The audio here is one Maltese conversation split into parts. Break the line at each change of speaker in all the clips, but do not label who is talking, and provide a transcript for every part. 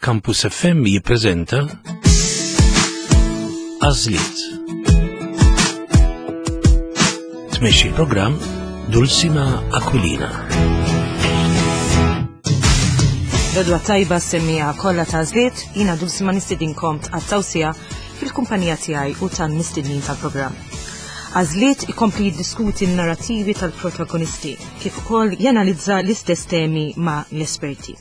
Campus FM jippreżenta Għażliet. Tmexxi l-programm Dulcima Aquilina.
Rodwa tajba semmija kollha ta' żliet, jiena Dulcima nistidinkom tqattaw sija fil-kumpanija tiegħi u tan-mistednin tal-programm. Għażliet ikompli jiddiskuti n-narrativi tal-protagonisti kif ukoll janalizza l-istess temi ma' l-esperti.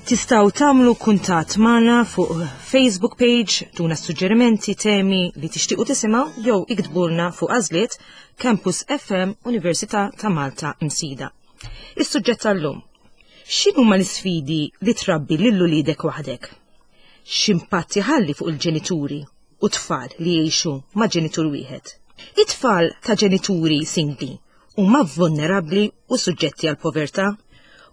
Tistgħu tagħmlu kuntatt magħna fuq Facebook page, tuna suġġerimenti, temi li tixtiequ tisimgħu jew iktbulna fuq għażliet Campus FM Università ta' Malta Msida. Is-suġġett tal-lum. X'inhuma l-isfidi li trabbi lil uliedek waħdek? X'impatt iħalli fuq il-ġenituri u tfal li jgħixu ma' ġenitur wieħed? It-tfal ta' ġenituri singli huma vulnerabbli u suġġetti għal povertà.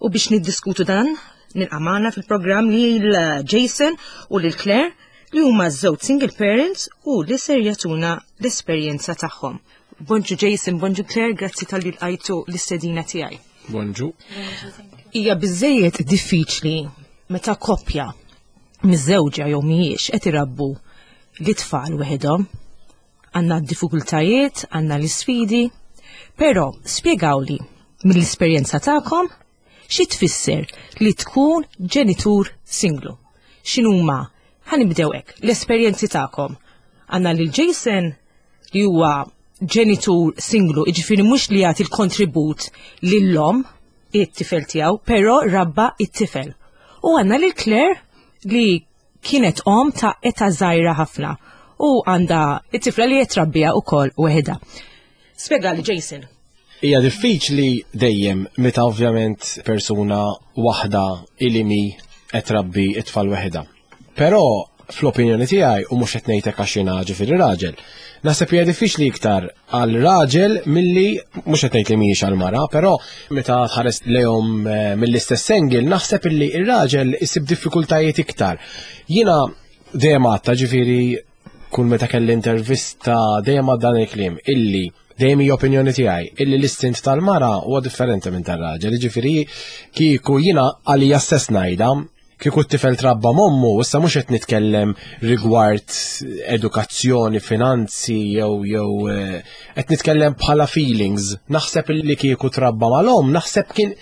U biex niddiskutu dan, nilqa' magħna fil-programm lil Jason u lil Claire li huma żewġ single parents u li ser jagħtuna l-esperjenza tagħhom. Bonġu Jason, bonġu Claire, grazzi tal-li lqajtu l-istedina tiegħi.
Bonġu.
Hija biżejjed diffiċli meta koppja miżewġa jew mhijiex qed irabbu l-itfal weħidhom Għandna d-diffikultajiet, għandna l-isfidi, però spjegawli mill-esperjenza tagħkom xi tfisser li tkun ġenitur singlu. X'inhuma ħa nibdew hekk, l-esperjenzi tagħkom. Għandna lil Jason li huwa ġenitur singlu, jiġifieri mhux li jagħti l-kontribut lil-omm it-tifel tiegħu, però rabba it-tifel. U għandna lil Claire li Kienet omm ta' età żgħira ħafna u għandha it-tifla li qed trabbija wkoll weħidha. Spjegali Jason.
Hija diffiċli dejjem meta ovvjament persuna waħda ilimi qed trabbi it-tfal weħidha. Però fl-opinjoni tiegħi u mhux qed ngħidlek għax jiena ġifieri raġel, naħseb hija diffiċli iktar għal raġel milli mhux qed ngħid li mhijiex għal mara, però meta tħares lejhom eh, mill-istess angle naħseb illi ir-raġel isib diffikultajiet iktar. Jiena dejjem għadta ġifieri kull meta kelli intervista dejjem għad dan il-kliem illi dejjem hija opinjoni tiegħi illi l-istint tal-mara huwa differenti minn tar-raġel, ġifieri kieku jiena għalija stess ngħidha Kieku t-tifel trabba m'ommu, issa mhux qed nitkellem rigward edukazzjoni, finanzi jew jew eh, qed nitkellem bħala feelings. Naħseb li kieku trabba mal-omm, naħseb kien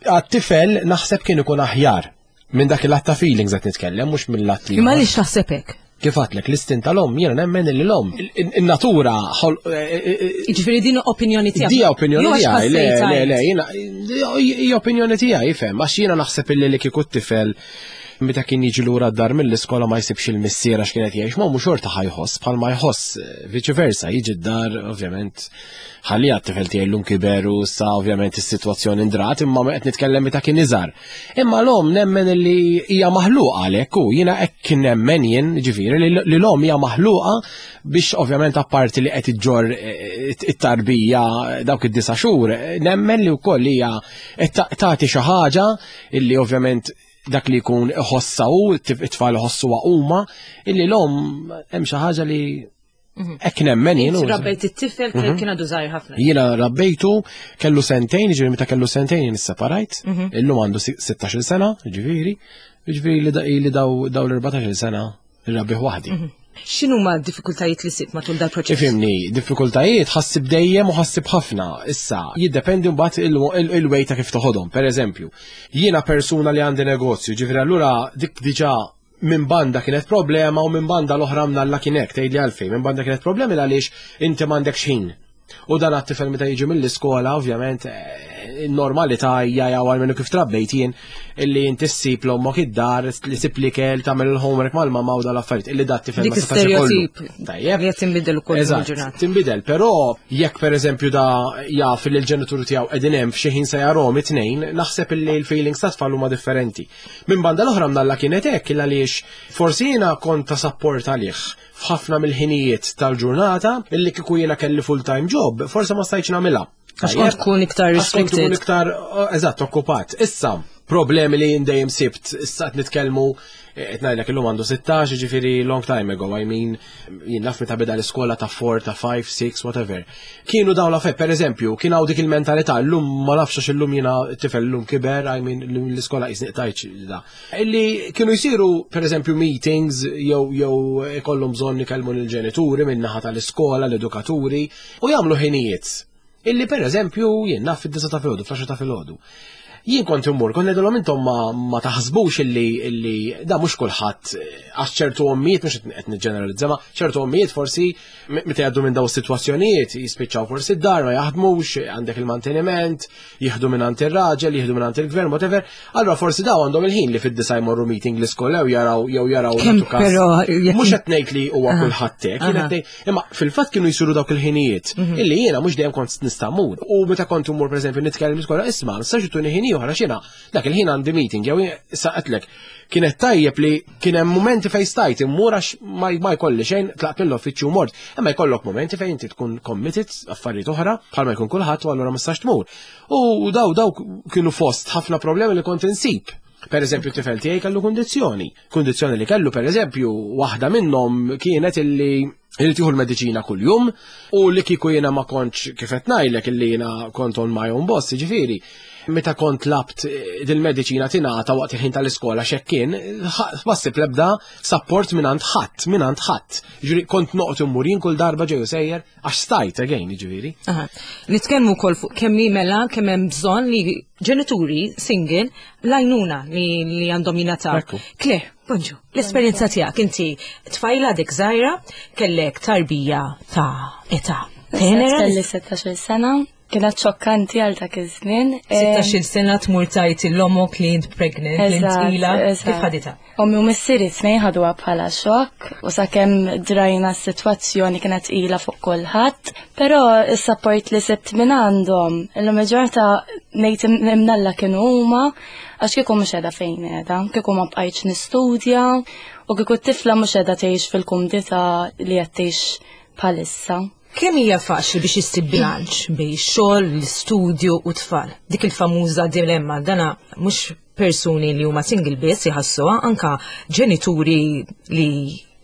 għat-tifel naħseb kien ikun aħjar. Minn dak il-att ta' feelings qed nitkellem, mhux mill-att li.
Imma għaliex taħseb hekk?
Kif għatlek l-istin tal-om, jiena nemmen li l-om. In-natura. Eh,
eh, eh, Jiġifieri din opinjoni tiegħek.
Di opinjoni tiegħi, le, le, le, jiena hija opinjoni tiegħi, ifhem, għax jiena naħseb illi li kieku t-tifel meta kien jiġi lura d-dar mill-iskola ma jsibx il-missier għax kienet jgħix ma mhux xorta ħajħoss bħal ma jħoss viċi versa jiġi d-dar ovvjament ħalli għat-tifel tiegħi llum kiber u sa ovvjament is-sitwazzjoni ndrat imma qed nitkellem meta kien iżgħar. Imma l-om nemmen li hija maħluqa għalhekk u jiena hekk nemmen jien ġifieri li l-om hija maħluqa biex ovvjament apparti li qed iġġor eh, it-tarbija dawk id-disa' xhur, nemmen li wkoll hija tagħti xi ħaġa illi ovvjament dak li jkun iħossa u it-tfal iħossuha huma illi l-om hemm xi ħaġa li Mhm. Hekk nemmen jien.
Rabbejt it-tifel mhm. kien għadu żgħir ħafna.
Jiena rabbejtu kellu sentejn, ġifieri meta kellu sentejn jien isseparajt, mhm. illum għandu 16-il sena, ġifieri, ġifieri li daw l-14-il sena irrabbih waħdi.
X'inhu ma diffikultajiet li sibt matul dal-proċess?
Ifimni, diffikultajiet ħassib dejjem u ħassib ħafna. Issa, jiddependi mbagħad il-way ta' kif toħodhom. Per eżempju, jiena persuna li għandi negozju, ġifieri allura dik diġà minn banda kienet problema u minn banda l-oħra mnalla kien hekk, tgħidli għalfejn, minn banda kienet problemi għaliex inti m'għandekx ħin. U dan għat-tifel meta jiġi mill-iskola, ovvjament, eh, normalità hija jew għal minnu kif trabbejt jien illi inti ssib l-ommok id-dar, li sib l-ikel, tagħmel il-homework mal-mamma u dal-affarijiet, illi dat tifel
ma setax ikollu. Tajjeb. Li qed tinbidel ukoll
il-ġurnata. Tinbidel, però jekk pereżempju da jaf li l-ġenituri tiegħu qegħdin hemm f'xi ħin se jarahom it-tnejn, naħseb illi l-feelings tat-tfal huma differenti. Minn banda l-oħra mnalla kienet hekk il għaliex forsi jiena kont ta' sapport għalih f'ħafna mill-ħinijiet tal-ġurnata illi kieku jiena kelli full-time job, forsi ma stajtx nagħmilha.
Għax kont tkun iktar
restricted. Tkun iktar, eżatt, okkupat. Issa, Problemi li jien dejjem sibt, issa qed nitkellmu qed ngħidlek illum għandu 16, jiġifieri long time ago, I mean, jien naf meta beda l-iskola ta' 4, ta' 5, 6, whatever. Kienu dawn l-affarijiet, pereżempju, kien hawn dik il-mentalità, llum ma nafx għax illum jiena tifel illum kiber, I mean, l-iskola qisni qtajtx da. Illi kienu jsiru pereżempju meetings jew jew ikollhom bżonn ikellmu lill-ġenituri min-naħa tal-iskola, l-edukaturi, u jagħmlu ħinijiet. Illi per eżempju jien naf fid-disa ta' filgħodu, fl ta' filgħodu. Jien kont immur, kont ngħidilhom intom ma, ma taħsbux illi illi da mhux kulħadd għax ċertu ommijiet mhux qed niġġeneralizza, ma ċertu ommijiet forsi meta jgħaddu minn daw is-sitwazzjonijiet jispiċċaw forsi d-dar ma jaħdmux, għandek il-manteniment, jieħdu minn għand ir-raġel, jieħdu minn għand il-gvern, whatever. Allura forsi daw għandhom il-ħin li fid-disa jmorru meeting l-iskola jew jaraw jew jaraw Mhux qed ngħid li huwa kulħadd hekk, Imma fil-fatt kienu jsiru dawk il-ħinijiet mhm. illi jiena mhux dejjem kont nista' mmur. U meta kont immur pereżempju nitkellem l-iskola isma' nistax ituni ħin ieħor għax jiena dak il-ħin għandi meeting jew issa qedlek kienet tajjeb li kien hemm mumenti fejn stajt immur għax ma jkolli xejn tlaqt mill-uffiċċju mort. Imma jkollok mumenti fejn inti tkun committed affarijiet oħra bħalma jkun kulħadd u allura ma tistax tmur. U daw daw kienu fost ħafna problemi li kont insib. Per eżempju, tifel tiegħi kellu kundizzjoni. Kundizzjoni li kellu, per eżempju, waħda minnhom kienet illi irid jieħu l-mediċina kuljum u li kieku jiena ma kontx kif qed ngħidlek illi jiena kont on my own boss, jiġifieri, meta kont labt eh, dil-mediċina tingħata waqt il-ħin tal-iskola xekkien, ma ssib l-ebda support mingħand ħadd, mingħand ħadd. Jiġifieri kont noqgħod immur jien kull darba ġej u sejjer għax stajt again, jiġifieri.
Nitkellmu wkoll fuq kemm mela kemm hemm bżonn li ġenituri single l-għajnuna li, li għandhom jingħataw. Claire, bonġu, l-esperjenza tiegħek inti tfajla dik żgħira kellek tarbija ta' età.
Tenera? Kelli 16 sena, kienet xokkanti għal dak iż-żmien.
16 sena tmur tajt l-omok li int pregnant, li int tqila, kif ħaditha?
Ommi u missieri t-tnejn ħaduha bħala xokk u sakemm drajna s-sitwazzjoni kienet tqila fuq kulħadd, però s-sapport li sibt minn għandhom, illum il-ġurnata ngħid imnalla kienu huma għax kieku mhux qiegħda fejn qiegħda, kieku ma bqajtx nistudja u kieku t-tifla mhux qiegħda tgħix fil-kumdità li qed tgħix bħalissa.
Kemm hija faċli biex issib bilanċ bejn ix-xogħol, l-istudju u t-tfal? Dik il-famuża dilemma dana mhux persuni li huma single biss jħassuha anka ġenituri li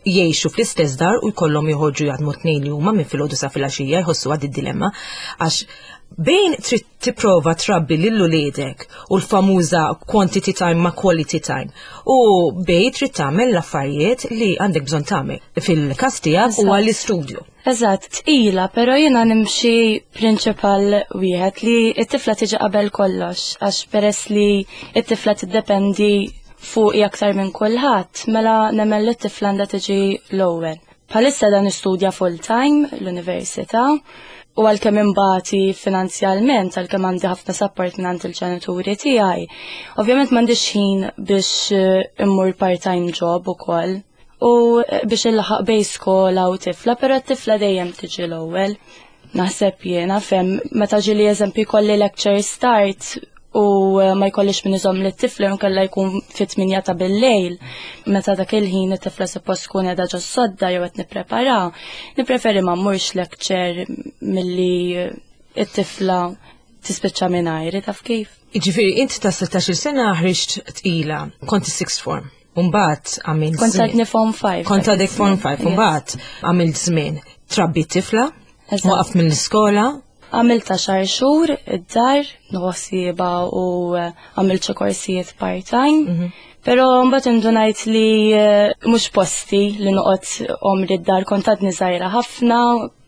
jgħixu fl-istess dar u jkollhom joħorġu jaħdmu tnejn li huma minn filgħodu sa filgħaxija jħossu għad id-dilemma għax bejn trid tipprova trabbi lil uliedek u l-famuża quantity time ma' quality time u bejn trid tagħmel l-affarijiet li għandek bżonn tagħmel fil-każ tiegħek huwa l-istudju.
Eżatt, tqila, però jiena nimxi prinċipal wieħed li t-tifla tiġi qabel kollox, għax peress li t-tifla tiddependi fuqi aktar minn kulħadd, mela nemmen li t-tifla għandha tiġi l-ewwel. Bħalissa dan nistudja full time l-università u għalkemm imbati finanzjalment, għalkemm għandi ħafna support minn il-ġenituri tiegħi, ovvjament m'għandix ħin biex eh, immur part-time job ukoll u eh, biex illaħaq bej skola u tifla, però t-tifla dejjem tiġi l-ewwel. Naħseb jiena fem meta ġili eżempju jkolli lecture start u eh, ma jkollix min iżomm li t-tifla nkella jkun fit-8 ta' bil-lejl, meta dak il-ħin it-tifla suppost tkun qiegħda ġo sodda jew qed nipprepara, nippreferi ma mmurx lecture milli it-tifla tispiċċa mingħajri taf kif.
Jiġifieri int ta' 16-il sena ħriġt tqila, kont is-sixth form. Umbat għamilt.
Kont għadni form 5.
Kont għadek form 5, umbat għamilt żmien. Trabbi tifla, waqaf mill-iskola.
Għamilt għaxar xhur id-dar, nħossiba u eh, għamilt xi korsijiet part-time. Mhm. Però mbagħad indunajt li eh, mhux posti li noqgħod omri d-dar kont għadni żgħira ħafna,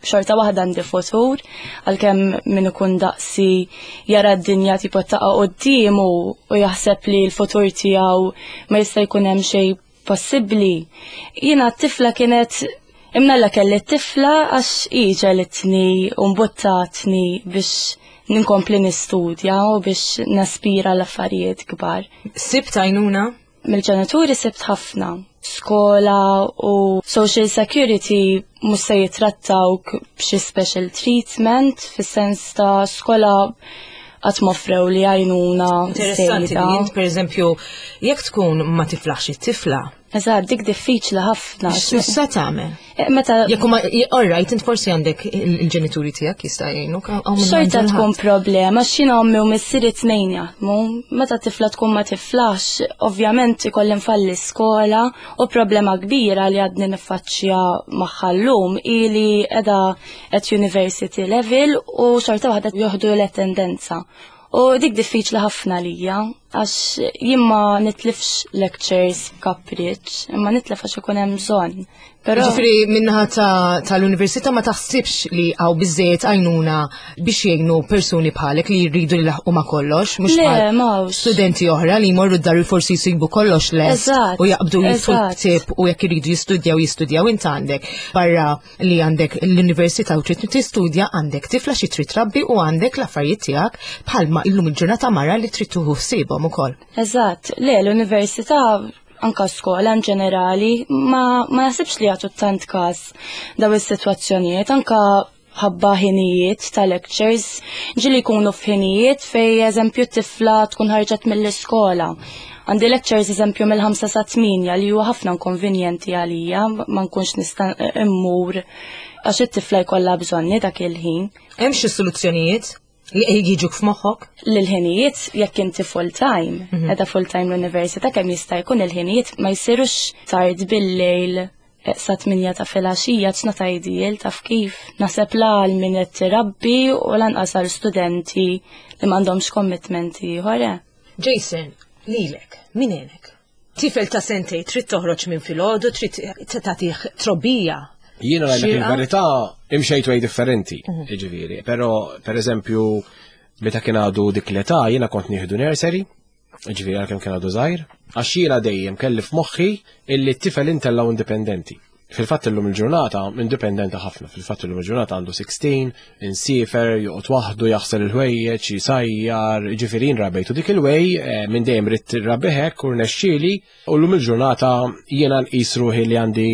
xorta waħda għandi futur, għalkemm min ikun daqsi jara d-dinja tipo taqa' quddiemu u jaħseb li l-futur tiegħu ma jista' jkun hemm xejn possibbli. Jiena t-tifla kienet imnalla kelli t-tifla għax hi ġelitni u mbuttatni biex ninkompli nistudja u biex naspira l-affarijiet kbar.
Sibt għajnuna?
Mill-ġenituri sibt ħafna. Skola u social security mhux se jitrattawk b'xi special treatment fis-sens ta' skola qatt m'offrew li għajnuna.
Interessanti li int pereżempju jekk tkun ma tiflaħx it-tifla,
Eżatt, dik diffiċli ħafna.
X'se tagħmel?
Eh, meta
Jekk huma all right, int forsi għandek il-ġenituri tiegħek jista' jgħinuk.
Xorta tkun problema, x'jiena ommi u missieri tnejn jaħdmu. Meta tifla tkun ma tiflax, ovvjament ikolli nfalli skola u problema kbira li għadni niffaċċja magħha llum hi li qiegħda at university level u xorta waħda joħdu l-attendenza. U dik diffiċli ħafna lija, għax jien ma nitlifx lectures kapriċ, imma nitlef għax ikun hemm bżonn.
Però Ġifieri minnaħa tal-università ma taħsibx li hawn biżejjed għajnuna biex jgħinu persuni bħalek li jridu li laħqu ma kollox, mhux bħal studenti oħra li jmorru d-dar forsi jsibu kollox lest u jaqbdu jitfu l-ktieb u jekk iridu jistudjaw jistudjaw int għandek barra li għandek l-università u trid tistudja għandek tifla xi trid trabbi u għandek l-affarijiet tiegħek bħalma illum il-ġurnata mara li trid tuħu ħsiebhom ukoll.
Eżatt, le l-università anka skola in ġenerali ma, ma naħsibx li jagħtu tant każ daw is-sitwazzjonijiet anka ħabba ħinijiet ta' lectures ġili jkunu f'ħinijiet fej eżempju tifla tkun ħarġet mill-iskola. Għandi lectures eżempju mill-5 sa 8 li huwa ħafna inkonvenjenti għalija, ma nkunx nista' immur għax it-tifla jkollha bżonni dak il-ħin.
Hemm xi soluzzjonijiet li jiġuk f'moħħok?
L-ħinijiet jekk inti full time, mhm. edha full time l-università kemm jista' jkun il-ħinijiet ma jsirux tard bil-lejl eh, sa 8 ta' filgħaxija it's not ideal taf kif. Naħseb la għal min qed tirabbi u lanqas għal studenti li m'għandhomx commitment ieħor. Eh.
Jason, lilek, min għenek? Tifel ta' sentej trid toħroġ minn filgħodu, trid tagħtih trobbija.
Jiena ngħidlek il-verità imxejt way differenti, mhm. jiġifieri. Però pereżempju meta kien għadu dik l-età jiena kont nieħdu nursery, jiġifieri għalkemm kien għadu żgħir, għax jiena dejjem kelli f'moħħi illi t-tifel intellgħu indipendenti. Fil-fatt illum il-ġurnata indipendenti ħafna, fil-fatt illum il-ġurnata għandu 16, insiefer, joqgħod waħdu, jaħsel il-ħwejjeġ, jisajjar, ġifieri rabejtu dik il-way eh, minn dejjem ridt rabbi hekk u rnexxieli u llum il-ġurnata jiena nqis ruħi li għandi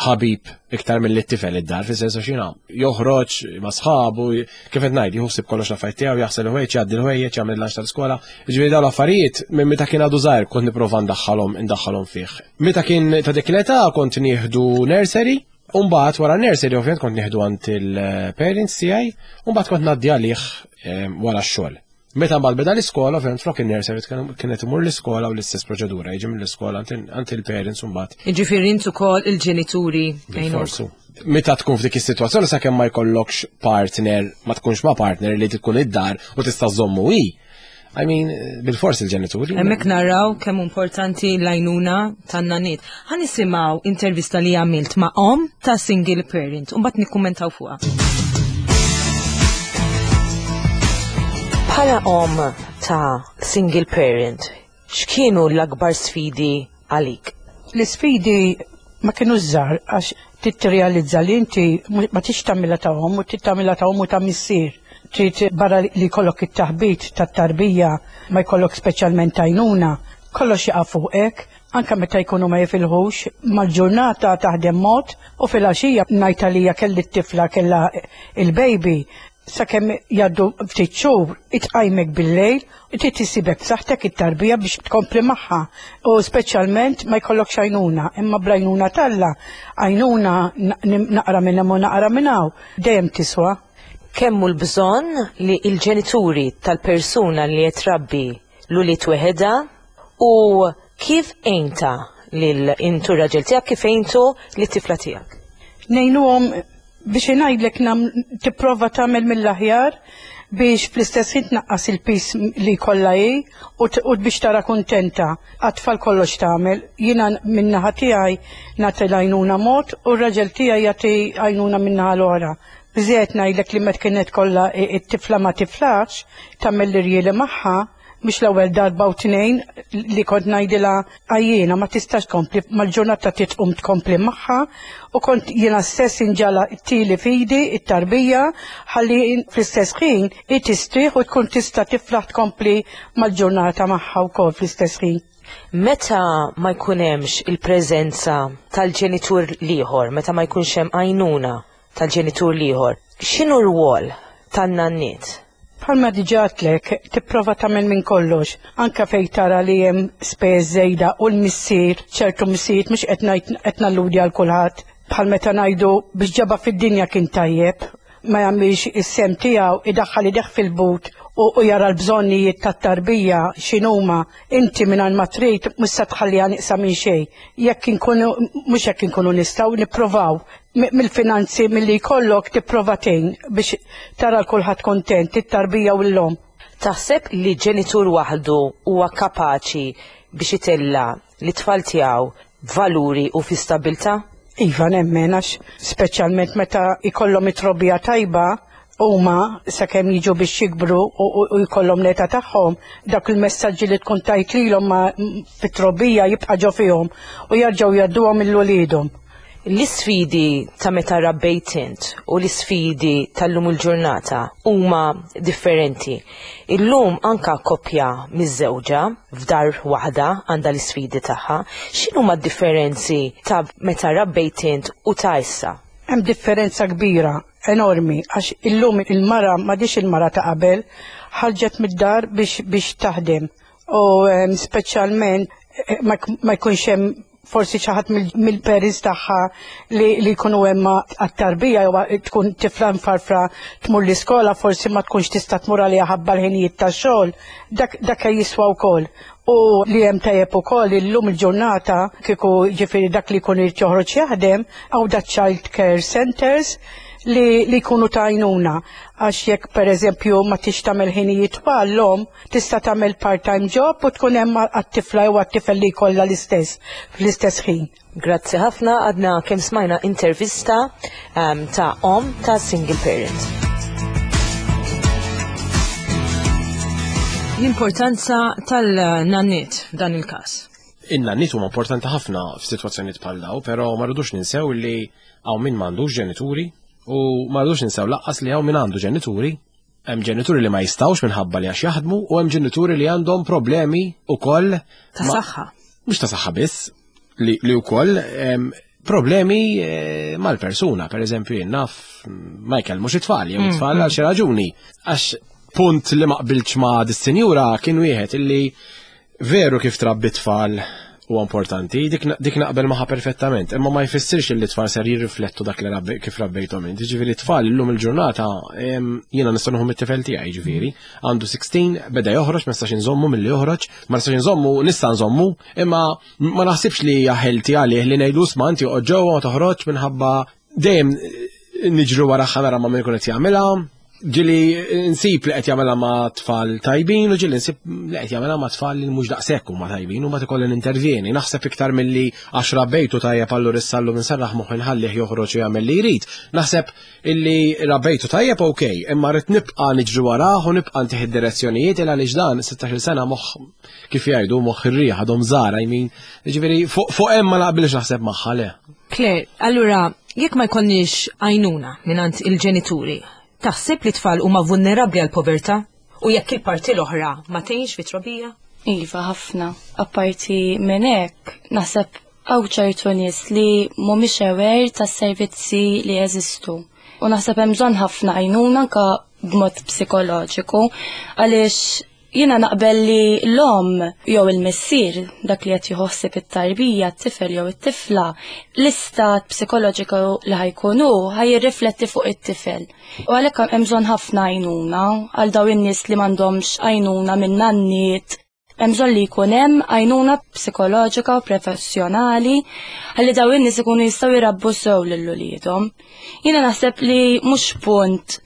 ħabib iktar mill tifel id-dar, fis-sens għax jiena joħroġ ma' sħabu, kif qed ngħid, jieħu ħsieb kollox l-affarijiet tiegħu, jaħsel il-ħwejjeġ, jgħaddi l-ħwejjeġ, jagħmel il-lanċ tal-iskola. Ġifieri dawn l-affarijiet minn meta kien għadu żgħir kont nipprova ndaħħalhom indaħħalhom fih. Meta kien ta' dik l-età kont nieħdu nursery, u mbagħad wara nursery ovvjament kont nieħdu għand il-parents tiegħi, u mbagħad kont ngħaddi għalih ehm, wara x-xogħol. Meta mbagħad beda l-iskola, ovvjament flok in-nursery kienet imur l-iskola u l-istess proċedura, jiġi mill-iskola għand il-parents u mbagħad.
Jiġifieri int ukoll il-ġenituri.
Forsu. Meta tkun f'dik is-sitwazzjoni sakemm ma jkollokx partner, ma tkunx ma' partner li tkun id-dar u tista' żommu hi. I mean, bil-fors il-ġenituri.
Hemmhekk naraw kemm importanti l-għajnuna tan-naniet. Ħa nisimgħu intervista li għamilt ma' om ta' single parent u mbagħad nikkummentaw fuqha.
Bħala om ta' single parent, x'kienu l-akbar sfidi għalik?
L-isfidi ma kienu żgħar għax trid tirrealizza li inti ma tix tagħmilha ta' omm u trid tagħmilha ta' omm u ta' missier. Trid barra li jkollok it-taħbit tat-tarbija ma jkollok speċjalment għajnuna, kollox jaqa' fuqek, anke meta jkunu ma jifilħux, mal-ġurnata taħdem mod u filgħaxija ngħid għalija kelli t-tifla kellha il-baby sakemm jgħaddu ftit xhur itqajmek bil-lejl trid issibek b'saħħtek it-tarbija biex tkompli magħha u speċjalment ma jkollokx għajnuna, imma bl-għajnuna t'Alla għajnuna naqra minn hemm u naqra minn hawn dejjem tiswa.
Kemm hu l-bżonn li l-ġenituri tal-persuna li qed trabbi l-ulied weħedha u kif għinta lil intu r-raġel tiegħek kif għintu lit-tifla tiegħek?
Ngħinuhom biex ingħidlek tipprova tagħmel mill-aħjar biex fl-istess ħin tnaqqas il-pis li jkollha hi u biex tara kuntenta. Għat-tfal kollox tagħmel. Jiena min-naħa tiegħi nagħti l-għajnuna mod u r-raġel tiegħi jagħti għajnuna min-naħa l-oħra. Biżżejjed ngħidlek li meta kienet kollha t-tifla ma tiflaħx, tagħmel l-irjieli magħha, mhux l-ewwel darba u tnejn li kont ngħidilha għajjiena ma tistax tkompli mal-ġurnata trid tqum tkompli magħha u kont jiena stess inġala tili fidi it-tarbija ħalli fl-istess ħin hi tistrieħ u tkun tista' tiflaħ tkompli mal-ġurnata magħha wkoll fl-istess ħin.
Meta ma jkun hemmx il-preżenza tal-ġenitur l-ieħor, meta ma jkunx hemm għajnuna tal-ġenitur l-ieħor, x'inhu r-rwol tan-nanniet?
Bħalma diġà għedtlek, tipprova tagħmel minn kollox, anke fejn tara li hemm spejjeż żejda u l-missier, ċertu missirijiet mhux qed ngħid qed nalludi għal kulħadd, bħal meta ngħidu biex ġabha fid-dinja kien tajjeb, ma jagħmilx is-sehem tiegħu, idaħħal idejh fil-but u, u jara l-bżonnijiet tat-tarbija x'inhuma, inti mingħajr ma trid mhux se tħalliha nieqsa minn xejn. Jekk inkunu mhux jekk inkunu nistgħu nipprovaw mill-finanzi milli jkollok tipprova tgħin biex tara l kulħadd kontent, it-tarbija u l-omm.
Taħseb li ġenitur waħdu huwa kapaċi biex itella' lit-tfal tiegħu b'valuri u fi stabbiltà?
Iva nemmen għax speċjalment meta jkollhom it-trobbija tajba huma sakemm jiġu biex jikbru u jkollhom l-età tagħhom, dak il-messaġġi li tkun tajt lilhom fit-trobbija jibqa' ġo fihom u jerġgħu jgħadduhom lil uliedhom.
L-isfidi ta' meta rabbejt int u l-isfidi tal-lum il-ġurnata huma differenti. Illum anka koppja miżżewġa f'dar waħda għandha l-isfidi tagħha. X'inhuma d-differenzi ta' meta rabbejt int u ta' issa?
Hemm differenza kbira, enormi, għax illum il-mara m'għadhiex il-mara ta' qabel, ħarġet mid-dar biex biex taħdem u speċjalment ma jkunx hemm forsi xi ħadd mill-parents tagħha li, li jkunu hemm għat-tarbija jew tkun tifla mfarfra tmur l-iskola forsi ma tkunx tista' tmur għaliha ħabba l-ħinijiet tax-xogħol, dak dak jiswa wkoll. U li hemm tajjeb ukoll illum il-ġurnata kieku ġifieri dak li jkun irid joħroġ jaħdem hawn da child care centers li, li jkunu ta' għajnuna għax jekk pereżempju ma tix tagħmel ħinijiet twal l-omm Tista' tagħmel part-time job u tkun hemm għat-tifla jew għat-tifel li jkollha l-istess fl-istess ħin.
Grazzi ħafna, għadna kemm smajna intervista ta' omm ta' single parent.
L-importanza tal-nanniet f'dan il-każ.
In-nanniet huma importanti ħafna f'sitwazzjonijiet bħal daw, però ma rridux ninsew li hawn min m'għandux ġenituri u ma rridux ninsew laqqas li hawn min għandu ġenituri. Hemm ġenituri li ma jistgħux minħabba li għax jaħdmu u hemm ġenituri li għandhom problemi ukoll
ta' saħħa.
Mhux ta' saħħa biss, li, li wkoll problemi eh, mal-persuna, per eżempju jien naf ma jkellmux it-tfal, jew it-tfal għal xi raġuni. Għax punt li ma qbiltx ma' dis-sinjura kien wieħed illi Veru kif trabbi tfal huwa importanti, dik, dik naqbel magħha perfettament, imma ma jfissirx li tfal ser jirriflettu dak li rabbi, kif rabbejthom int. Ġifieri tfal illum il-ġurnata jiena nista' nieħu mit-tifel tiegħi ġifieri, għandu 16, beda joħroġ, ma nistax inżommu milli joħroġ, ma nistax inżommu, nista' nżommu, imma ma naħsibx li hija ħelti għalih li ngħidlu sma inti oqgħod ġewwa ma toħroġ minħabba dejjem niġru wara ħanara ma min ikun qed jagħmilha, ġili nsib li qed jagħmilha ma' tfal tajbin u ġili nsib li qed jagħmilha ma' tfal li mhux daqshekk huma tajbin u ma ikolli nintervjeni. Naħseb iktar milli għax rabbejtu tajjeb allura issa llum inserraħ moħħi nħallih joħroġ u jagħmel li jrid. Naħseb illi rabbejtu tajjeb ok, imma rrid nibqa' niġri warah u nibqa' ntih id-direzzjonijiet il għaliex dan 16-il sena moħħ kif jgħidu moħħ ir-riħ għadhom żgħar I mean, jiġifieri fuq hemm ma naqbilx naħseb magħha le.
Claire, allura jekk ma jkollniex għajnuna mingħand il-ġenituri, taħseb li tfal huma vulnerabbli għal povertà? U jekk il-parti l-oħra ma tgħinx fit-trobbija?
Iva, ħafna. Apparti minn hekk, naħseb hawn ċertu nies li mhumiex aware tas-servizzi li jeżistu. U naħseb hemm bżonn ħafna għajnuna anke b'mod psikoloġiku għaliex Jiena naqbel li l-omm jew il-missier, dak li qed jieħu ħsieb it-tarbija, t-tifel jew it-tifla, l-istat psikoloġiku li ħa jkun hu ħa jirrifletti fuq it-tifel. U għalhekk hemm bżonn ħafna għajnuna għal dawn in-nies li m'għandhomx għajnuna minn nanniet. Hemm bżonn li jkun hemm għajnuna psikoloġika u professjonali ħalli dawn in-nies ikunu jistgħu jrabbu sew lil uliedhom. Jiena naħseb li mhux punt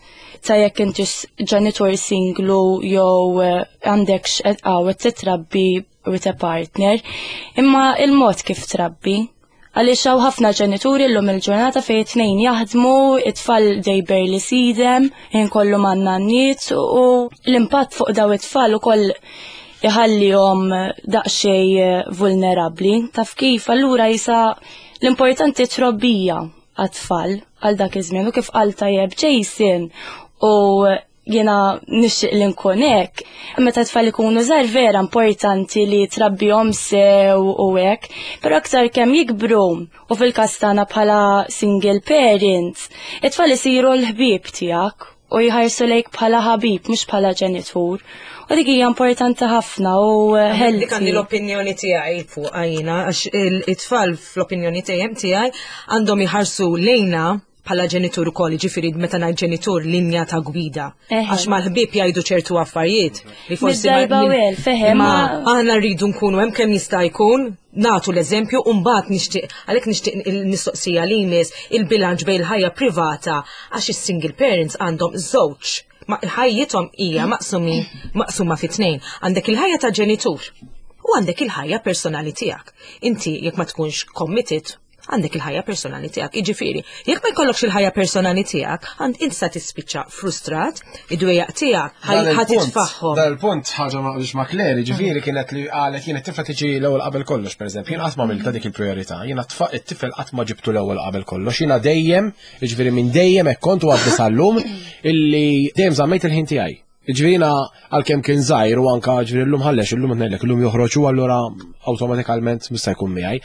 ta' jekk intix ġenitur singlu jew eh, għandekx qed titrabbi with a partner, imma il-mod kif trabbi. Għaliex hawn ħafna ġenituri llum il-ġurnata fejn it-tnejn jaħdmu, it-tfal they barely see them, inkollu man-nanniet u l-impatt fuq daw it-tfal ukoll iħallihom daqsxejn eh, vulnerabbli. Taf kif allura jisa l-importanti trobbija għat-tfal għal dak iż-żmien u kif qal tajjeb Jason u jiena nixtieq li nkun hekk, meta tfal ikunu żgħar vera importanti li trabbihom sew u hekk, però aktar kemm jikbru u fil-każ tagħna bħala single parents, it-tfal isiru l-ħbieb tiegħek. u jħarsu lejk bħala ħabib mhux bħala ġenitur. U dik hija importanti ħafna u healthy.
Dik għandi l-opinjoni tiegħi fuq għajna għax it-tfal fl-opinjoni tiegħi għandhom iħarsu lejna bħala ġenitur ukoll, ġifieri meta ngħid ġenitur linja ta' gwida. Għax mal-ħbieb jgħidu ċertu affarijiet li forsi
ma fehem.
Ma aħna rridu nkunu hemm kemm jista' jkun nagħtu l-eżempju u mbagħad nixtieq għalhekk nixtieq il-mistoqsija li jmiss il-bilanċ bejn il-ħajja privata għax is-single parents għandhom żewġ ma ħajjithom hija maqsumi maqsuma fi tnejn. Għandek il-ħajja ta' ġenitur u għandek il-ħajja personali tiegħek. Inti jekk ma tkunx committed għandek il-ħajja personali tiegħek. Jiġifieri, jekk ma jkollokx il-ħajja personali tiegħek, għand int sa tispiċċa frustrat, id-dwejjaq tiegħek ħa titfaħħom.
Dal-punt ħaġa ma qbilx ma' Claire, jiġifieri kienet li qalet jien it-tifla tiġi l-ewwel qabel kollox, pereżempju, jien qatt ma għamiltha dik il-prijorità, jiena it-tifel qatt ma ġibtu l-ewwel qabel kollox, jiena dejjem, jiġifieri minn dejjem hekk kont u għadni sal-lum illi dejjem żammejt il-ħin tiegħi. Ġifieri jiena għalkemm kien żgħir u anka ġifieri llum ħallex illum ngħidlek illum joħroġ u allura awtomatikament mista' jkun miegħi.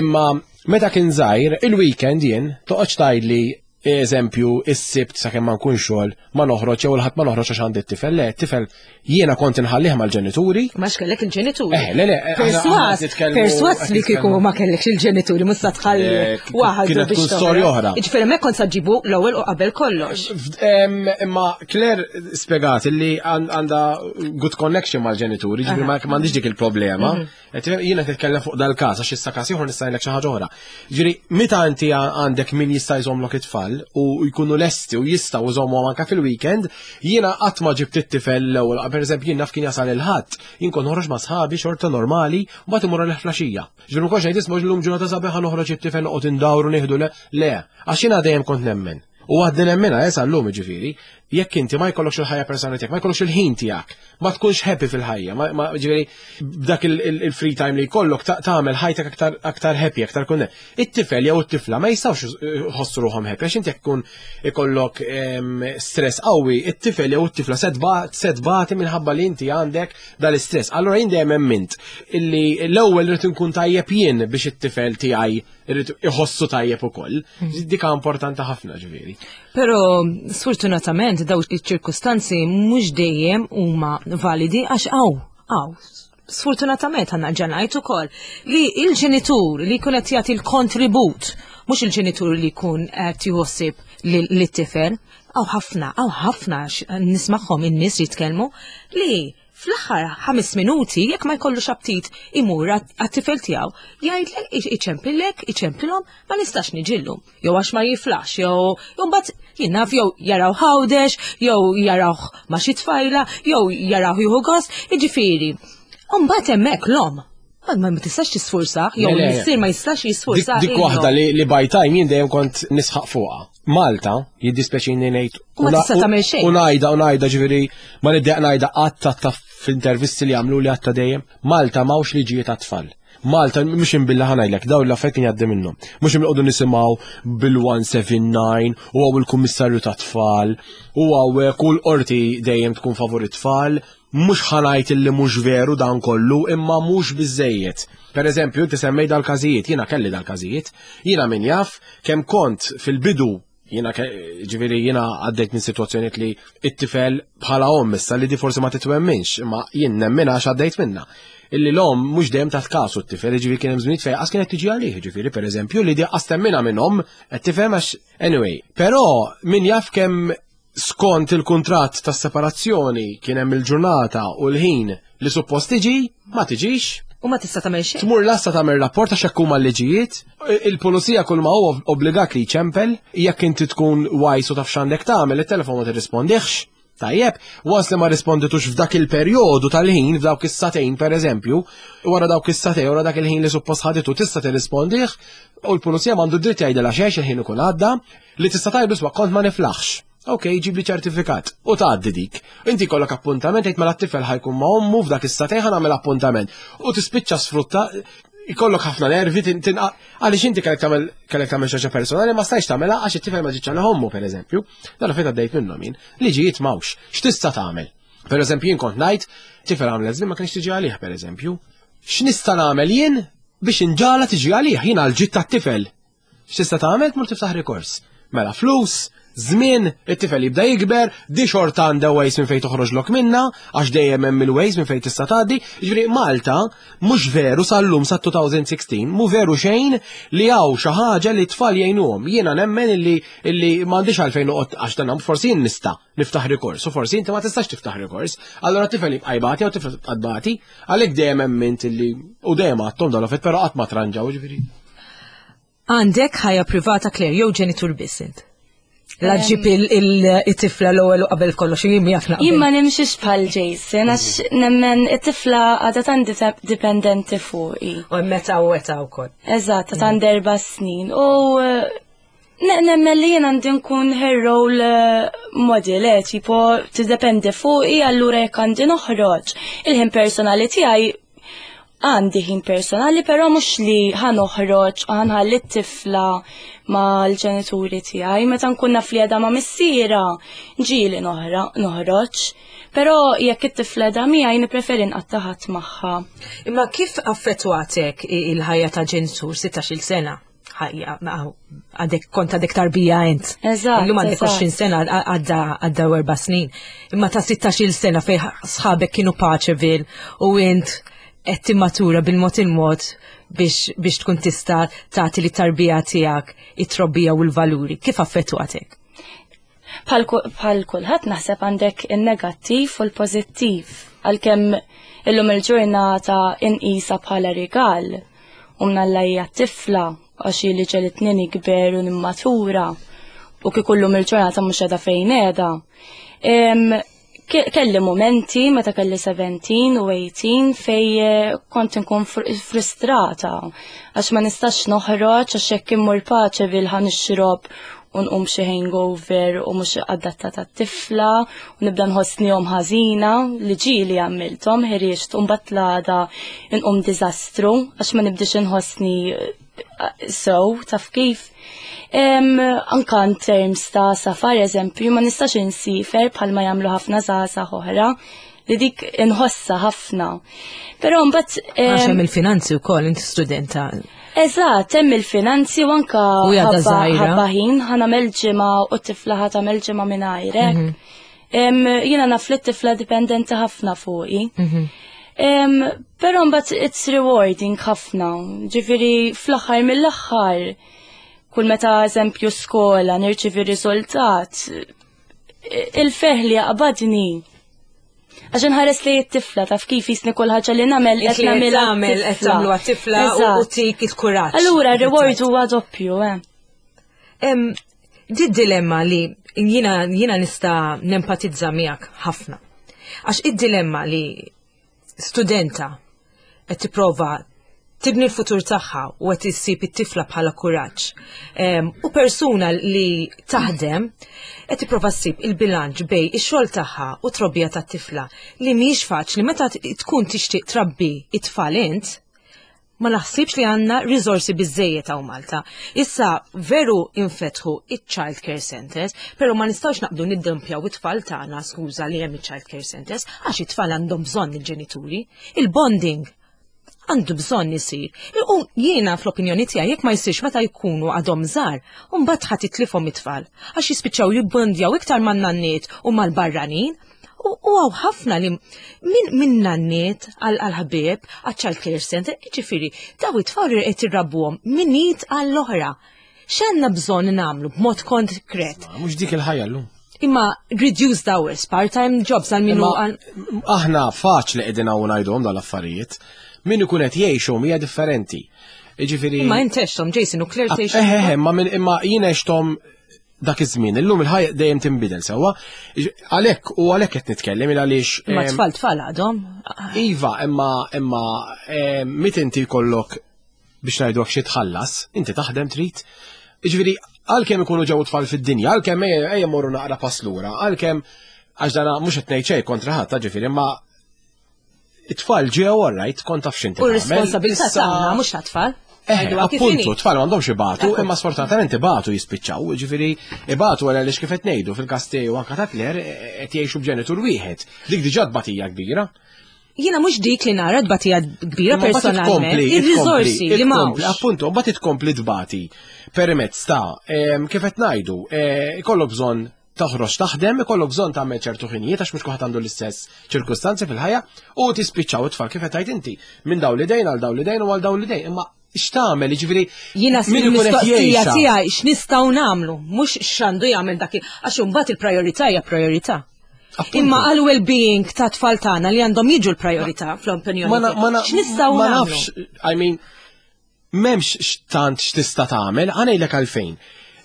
Imma meta kien żgħir, il-weekend jien toqgħodx tgħidli eżempju is-sibt sakemm ma nkun xogħol ma noħroġ jew il-ħadd ma noħroġ għax għandi t-tifel. Le, t-tifel jiena kont inħallih mal-ġenituri.
Ma x'kellek il-ġenituri.
Eh, le, le, eh,
Perswas, perswas li kieku ma kellekx il-ġenituri mhux sa tħalli
eh,
waħdu
biex tkun storja oħra.
Jiġifieri hemmhekk kont sa ġibu l-ewwel u qabel kollox.
Imma Claire spjegat li għandha good connection mal-ġenituri, ġifieri ma m'għandix dik il-problema. Mhm. Jiena titkellem fuq dal-każ għax issa każ ieħor nista' ngħidlek xi ħaġa oħra. Ġifieri meta inti għandek min jista' jżommlok it-tfal u jkunu lesti u jistgħu jżommuhom anke fil-weekend, jiena qatt ma ġibt it-tifel l-ewwel, pereżempju jien naf kien jasal il-ħadd, jien kont noħroġ ma' sħabi xorta normali u mbagħad imur għalih flaxija. Ġifieri ma kontx ngħid isma' llum ġurnata sabiħa noħroġ it-tifel noqgħod indawru nieħdu le, le, għax jiena dejjem kont nemmen. U għadni nemmenha eh, sal-lum ġifieri, jekk inti ma jkollokx il-ħajja personali tiegħek, ma jkollokx il-ħin tiegħek, ma tkunx happy fil-ħajja, ma ġifieri b'dak il-free time li jkollok tagħmel ħajtek aktar aktar happy, aktar kun. It-tifel jew it-tifla ma jistgħux jħossu ruħhom happy għax inti jekk tkun ikollok stress qawwi, it-tifel jew it-tifla se tbati minħabba li inti għandek dal-istress. Allura jien dejjem emmint illi l-ewwel irid inkun tajjeb jien biex it-tifel tiegħi irrid iħossu tajjeb ukoll. Mm. Dika importanti ħafna ġifieri.
Però sfortunatament daw iċ-ċirkustanzi mhux dejjem huma validi għax hawn hawn sfortunatament għanna ġanajt ukoll li il-ġenitur li jkun qed jagħti l-kontribut mhux il-ġenitur li jkun qed jħossib lit-tifel, hawn ħafna, hawn ħafna nismagħhom in-nies jitkellmu li Fl-aħħar ħames minuti, jekk ma jkollux aptit imur għat-tifel tiegħu, jgħidlek iċempillek, iċemplilhom, ma nistax niġi llum. Jew għax ma jiflax, jew mbagħad jien naf jew jaraw ħawdex, jew jarawh ma' xi tfajla, jew jarawh jieħu gost, jiġifieri. U mbagħad hemmhekk l-omm Ma tistax tisfursa, jew missier ma jistax jisfursa.
Dik waħda li by time jien dejjem kont nisħaq fuqha. Malta, jiddispjaċini ngħid.
Ma tista' tagħmel xejn.
U ngħidha u ngħidha ġifieri ma niddeq ngħidha qatt ta' f'intervisti li għamlu li għatta dejjem. Malta m'hawnx liġijiet għat-tfal. Malta mhux imbilla ħanajlek dawn l-affarijiet jgħaddi minnhom. Mhux imqogħdu nisimgħu bil-179 u hawn il-kummissarju tat-tfal u hawn kull qorti dejjem tkun favur it-tfal. Mhux ħa ngħid illi mhux veru dan kollu imma mhux biżżejjed. Per eżempju, inti semmej dal-każijiet, jiena kelli dal-każijiet, jiena min jaf kemm kont fil-bidu jiena ġifieri jiena għaddejt minn sitwazzjonijiet li it-tifel bħala omm issa li di forsi ma titwemminx, imma jien nemminha għax għaddejt minnha. Illi l-omm mhux dejjem tat kasu t-tifel, ġifieri kien hemm żminijiet fejn qas kienet tiġi għalih, ġifieri pereżempju li di qas temminha minn omm, qed tifhem għax anyway. Però min jaf kemm skont il-kuntratt tas-separazzjoni kien hemm il-ġurnata u l-ħin li suppost tiġi, ma tiġix.
U ma tista' tagħmel xejn.
Tmur lassa tagħmel rapport għax hekk huma l-liġijiet. Il-pulizija kull ma huwa obbligat li jċempel, jekk inti tkun wise u taf x'għandek tagħmel, it-telefon ma tirrispondihx. Tajjeb, once li ma risponditux f'dak il-perjodu tal-ħin, f'dawk is-sagħtejn pereżempju, wara dawk is-sagħtejn, wara dak il-ħin li suppost ħaditu tista' tirrispondih, u l-pulizija m'għandu dritt jgħidilha xejn il-ħin ikun għadda, Li tista' tgħidlu isma' kont ma niflaħx. Ok, ġib li ċertifikat. U tgħaddi dik. Inti jkollok appuntament tgħid mela t-tifel ħajkun ma' ommu f'dak is-sagħtejn ħa nagħmel appuntament. U tispiċċa sfrutta jkollok ħafna nervi għaliex inti kellek tagħmel kellek tagħmel xi personali ma stajtx tagħmilha għax it-tifel ma ġietx għal ommu pereżempju. Dan fejn għaddejt minnhom jien. Liġijiet m'hawnx. X'tista' tagħmel? Per eżempju jien kont ngħid tifel għamlet żmien ma kienx tiġi għalih pereżempju. X'nista' nagħmel jien biex inġala tiġi għalih jien għal ġid tat-tifel. X'tista' tagħmel tmur tiftaħ rikors. Mela flus, Żmien, it-tifel jibda jikber, di xorta għandha ways minn fejn toħroġlok minna, għax dejjem hemm il-ways minn fejn tista' tgħaddi. Jiġifieri Malta mhux veru sal-lum sa 2016, mhu veru xejn li hawn xi ħaġa li t-tfal jgħinuhom. Jiena nemmen illi illi m'għandix għalfejn noqgħod għax dan forsi jien nista' niftaħ rikors u forsi inti ma tistax tiftaħ rikors. Allura t-tifel jibqa' jbati jew tifel tibqa' tbati, għalhekk dejjem emmint illi u dejjem għadthom dan l però qatt ma tranġaw ġifieri.
Għandek ħajja privata Claire jew ġenitur biss int? La ġib il-tifla l-ewwel u qabel kollox jien miegħek naqbel.
Jien ma nimxiex bħal Jason għax nemmen it-tifla għadha tant dipendenti fuqi.
U meta u meta wkoll.
Eżatt, ta' għand erba' snin. U eh, nemmen li jien għandi nkun her role eh, model, eh, tipo tiddependi fuqi allura jekk għandi noħroġ. Il-ħin personali tiegħi Għandi ħin personali, però mhux li ħa noħroġ u ħanħalli t-tifla mal-ġenituri tiegħi. Meta nkun naf li għadha ma' missiera, ġieli noħroġ. Però jekk it-tifla għadha miegħi nippreferi nqatta' ħadd magħha.
Imma kif affettwatek il-ħajja ta' ġenitur 16-il sena? ħajja, għadek kont għadek tarbija int.
Eżatt.
Illum għandek 20 sena għadda għadda erba' snin. Imma ta' 16 sena fej sħabek kienu Paceville u int qed timmatura bil-mod il-mod biex, biex tkun tista' tagħti li tarbija tiegħek it-trobbija u l-valuri. Kif affettwatek?
Bħal kulħadd naħseb għandek in-negattiv u l-pożittiv. Għalkemm illum il-ġurnata inqisha bħala rigal u mnalla hija tifla għax li ġelitni nikber u nimmatura u kieku llum il-ġurnata mhux qiegħda fejn qiegħda. Kelli momenti meta kelli 17 u 18 fej eh, kont nkun frustrata għax ma nistax noħroġ għax jekk immur paċe bil ħa nixrob u nqum xi hangover u mhux adattata tifla u nibda nħossni jom ħażina li ġieli għamilthom ħirieġt u mbagħad l-għada nqum diżastru għax ma nibdiex inħossni eh, so taf kif. Anka in terms ta' safar eżempju ma nistax insifer bħalma jagħmlu ħafna żgħażagħ oħra li dik inħossa ħafna. Però mbagħad
Għax hemm il-finanzi wkoll inti studenta.
Eżatt, hemm il-finanzi u anka
U għadha żgħira.
ħabba ħin ħa nagħmel ġimgħa u t-tifla ħa tagħmel ġimgħa mingħajrek. Jiena naf li t-tifla dipendenti ħafna fuqi. Però mbagħad it's rewarding ħafna. Ġifieri fl-aħħar mill-aħħar kull meta eżempju skola nirċivi riżultat il-ferħ li jaqbadni. Għax nħares li t-tifla taf kif jisni kull ħaġa li nagħmel qed nagħmilha
tagħmel qed tagħmlu għat-tifla u tik il-kuraġġ.
Allura reward huwa doppju, eh.
Di dilemma li jiena jiena nista' nempatizza miegħek ħafna. Għax id-dilemma li studenta qed tipprova tibni l-futur tagħha u qed issib it-tifla bħala kuraġġ. U persuna li taħdem qed tipprova ssib il-bilanċ bej ix-xogħol tagħha u trobbija tat-tifla li mhijiex faċli meta tkun tixtieq trabbi it-tfal int, ma naħsibx li għandna riżorsi biżejjed hawn Malta. Issa veru infetħu iċ-child care centers, però ma nistgħux naqbdu niddumpjaw it-tfal tagħna, skuża li hemm iċ-child care centers, għax it-tfal għandhom bżonn il-ġenituri. Il-bonding għandu bżonn isir. U jiena fl-opinjoni tiegħi jekk ma jsirx meta jkunu għadhom żgħar, u mbagħad ħadd titlifhom it-tfal għax jispiċċaw jibbondjaw iktar man-nanniet u mal-barranin. U hawn ħafna li minn min nanniet għal-ħbieb, għal-child care center, ġifieri, daw it-tfal qed irrabbuhom minn id għall-oħra. X'għandna bżonn nagħmlu b'mod konkret?
Mhux dik il-ħajja llum.
Imma reduced hours, part-time jobs għal minnu
Imma aħna faċli qegħdin hawn ngħidhom dal-affarijiet. Min ikun qed jgħixhom hija differenti. Jiġifieri
Imma int għexthom, Jason, u Claire tgħix.
Eh, eh, imma min imma jien għexthom dak iż-żmien. Illum il-ħajja dejjem tinbidel sewwa. Għalhekk u għalhekk qed nitkellem il għaliex.
Imma tfal tfal għadhom.
Iva, imma imma mit inti jkollok biex ngħidu xi tħallas, inti taħdem trid. Jiġifieri għalkemm ikunu ġew tfal fid-dinja, għalkemm ejja morru naqra pass lura, għalkemm għax dana mhux qed ngħid xejn kontra ħadd, ġifieri, imma it-tfal ġew all right, kont taf x'inti.
U r-responsabilità tagħna mhux tat-tfal.
Eh, appuntu, tfal m'għandhomx ibatu, imma sfortunatament ibatu jispiċċaw, ġifieri ibatu għal għaliex kif qed ngħidu fil-każ tiegħi u anke ta' Claire qed jgħixu b'ġenitur wieħed. Dik diġà tbatija kbira.
Jiena mhux dik li nara tbatija kbira personalment, ir-riżorsi li m'hawnx.
Appuntu, mbagħad tkompli tbati permezz ta' kif qed ngħidu, eh, ikollok bżonn toħroġ taħdem, ikollok bżonn tagħmel ċertu ħinijiet għax mhux kulħadd għandu l-istess ċirkustanzi fil-ħajja u tispiċċaw it-tfal kif qed tgħid inti minn dawn l-idejn għal dawn l-idejn u għal dawn l-idejn. Imma x'tagħmel, jiġifieri
Jiena mistoqsija tiegħi x'nistgħu nagħmlu, mhux x'għandu jagħmel dak għax imbagħad il-priorità hija priorità. Imma għal well-being ta' tfal tagħna li għandhom jiġu l-priorità fl-opinjoni. X'nistgħu
Ma nafx, I mean, m'hemmx tant x'tista' tagħmel, ngħidlek għalfejn.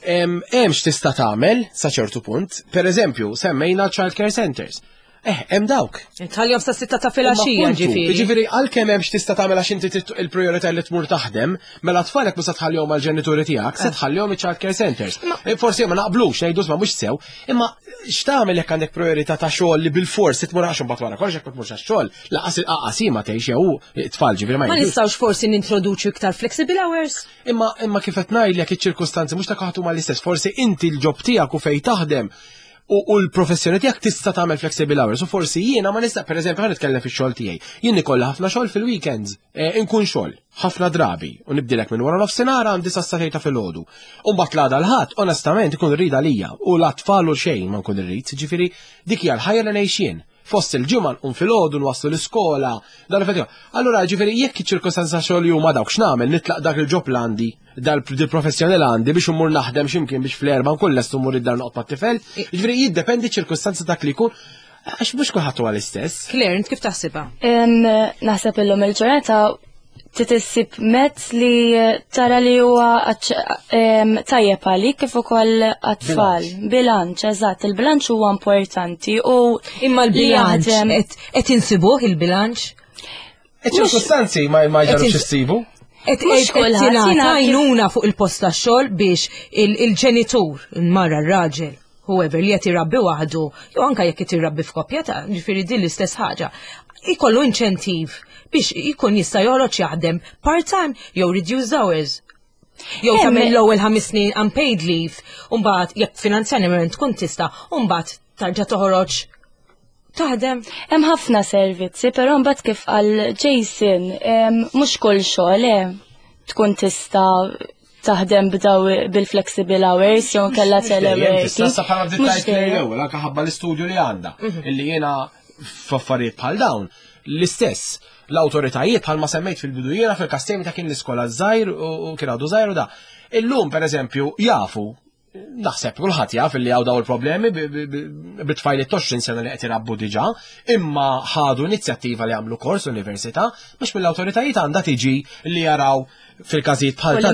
Hemm x'tista' tagħmel sa ċertu punt, pereżempju, semmejna child care centers. Eh, hemm dawk.
Tħallihom sa sitta ta' filgħaxija
ġifieri. Ġifieri għalkemm hemm x'tista' tagħmel għax inti il-prijorità li tmur taħdem, mela tfalek mhux se tħallihom għall-ġenituri tiegħek, se eh. tħallihom iċ-child care centers. Eh, forsi ma naqblux, ngħidu ma mhux sew, imma x'tagħmel jekk għandek priorità ta' xogħol li bil-fors tmur għax imbagħad wara kollox jekk ma tmurx għax-xogħol, laqas il-qaqas ma tgħix jew tfal ġifieri
ma. Ma nistgħux forsi nintroduċu iktar flexible hours?
Imma imma kif qed ngħidlek iċ-ċirkustanzi mhux ta' kaħtu ma l-istess, forsi inti l-ġob tiegħek u fejn taħdem u l-professjoni tiegħek tista' tagħmel flexible hours u forsi jiena ma nista' pereżempju ħa nitkellem fix-xogħol tiegħi. Jien ikollha ħafna xogħol fil-weekends, eh, inkun xogħol ħafna drabi u nibdilek minn wara nofsinhar għandi sa ta' filgħodu. U mbagħad l-għada l-ħadd onestament ikun rida lija u l-atfal u xejn ma nkun irrid, ġifieri dik hija l-ħajja li ngħix jien. Fost il-ġimgħa nqum filgħodu nwasslu l-iskola, dan Allura ġifieri jekk iċ-ċirkostanza xogħol huma dawk x'nagħmel nitlaq dak il-ġob l-għandi dal-professjoni l għandi biex immur naħdem x'imkien biex fl-erba' nkun lest immur id-dar noqgħod mat-tifel. Ġifieri jiddependi ċirkustanza dak li jkun għax mhux kulħadd huwa l-istess.
Claire, int kif taħsibha?
Naħseb illum il-ġurnata titissib mezz li tara li huwa tajjeb għalik kif ukoll għat-tfal. Bilanċ, eżatt, il-bilanċ huwa importanti u
imma l-bilanċ qed insibuh il-bilanċ?
Iċ-ċirkustanzi ma ma jġarux issibu.
Et tingħata għajnuna fuq il-post tax-xogħol biex il-ġenitur, il-mara, r-raġel, whoever li qed irabbi waħdu, jew anke jekk qed irabbi f'koppja ta' ġifieri din l-istess ħaġa, ikollu inċentiv biex ikun jista' joħroġ jaħdem part-time jew reduced hours. Jew tagħmel l-ewwel ħames snin unpaid leave, u mbagħad jekk finanzjarjament tkun tista' u mbagħad tarġa' toħroġ taħdem.
Hemm ħafna servizzi, però mbagħad kif qal Jason, mhux kull xogħol eh, tkun tista' taħdem b'daw bil-flexible hours jew kellha teleworking.
Tista' saħħa bdiet l-ewwel anke ħabba l-istudju li għandha mhm. illi jiena f'affarijiet bħal dawn l-istess l-awtoritajiet bħalma semmejt fil-bidu jiena fil-kastemi ta' kien l-iskola żgħir u kien għadu żgħir u da. Illum pereżempju jafu naħseb kulħadd jaf li hawn daw il-problemi bit-tfajliet 20 sena li qed irabbu diġà, imma ħadu inizjattiva li għamlu kors università biex mill-awtoritajiet għandha tiġi li jaraw fil-każijiet bħal ta'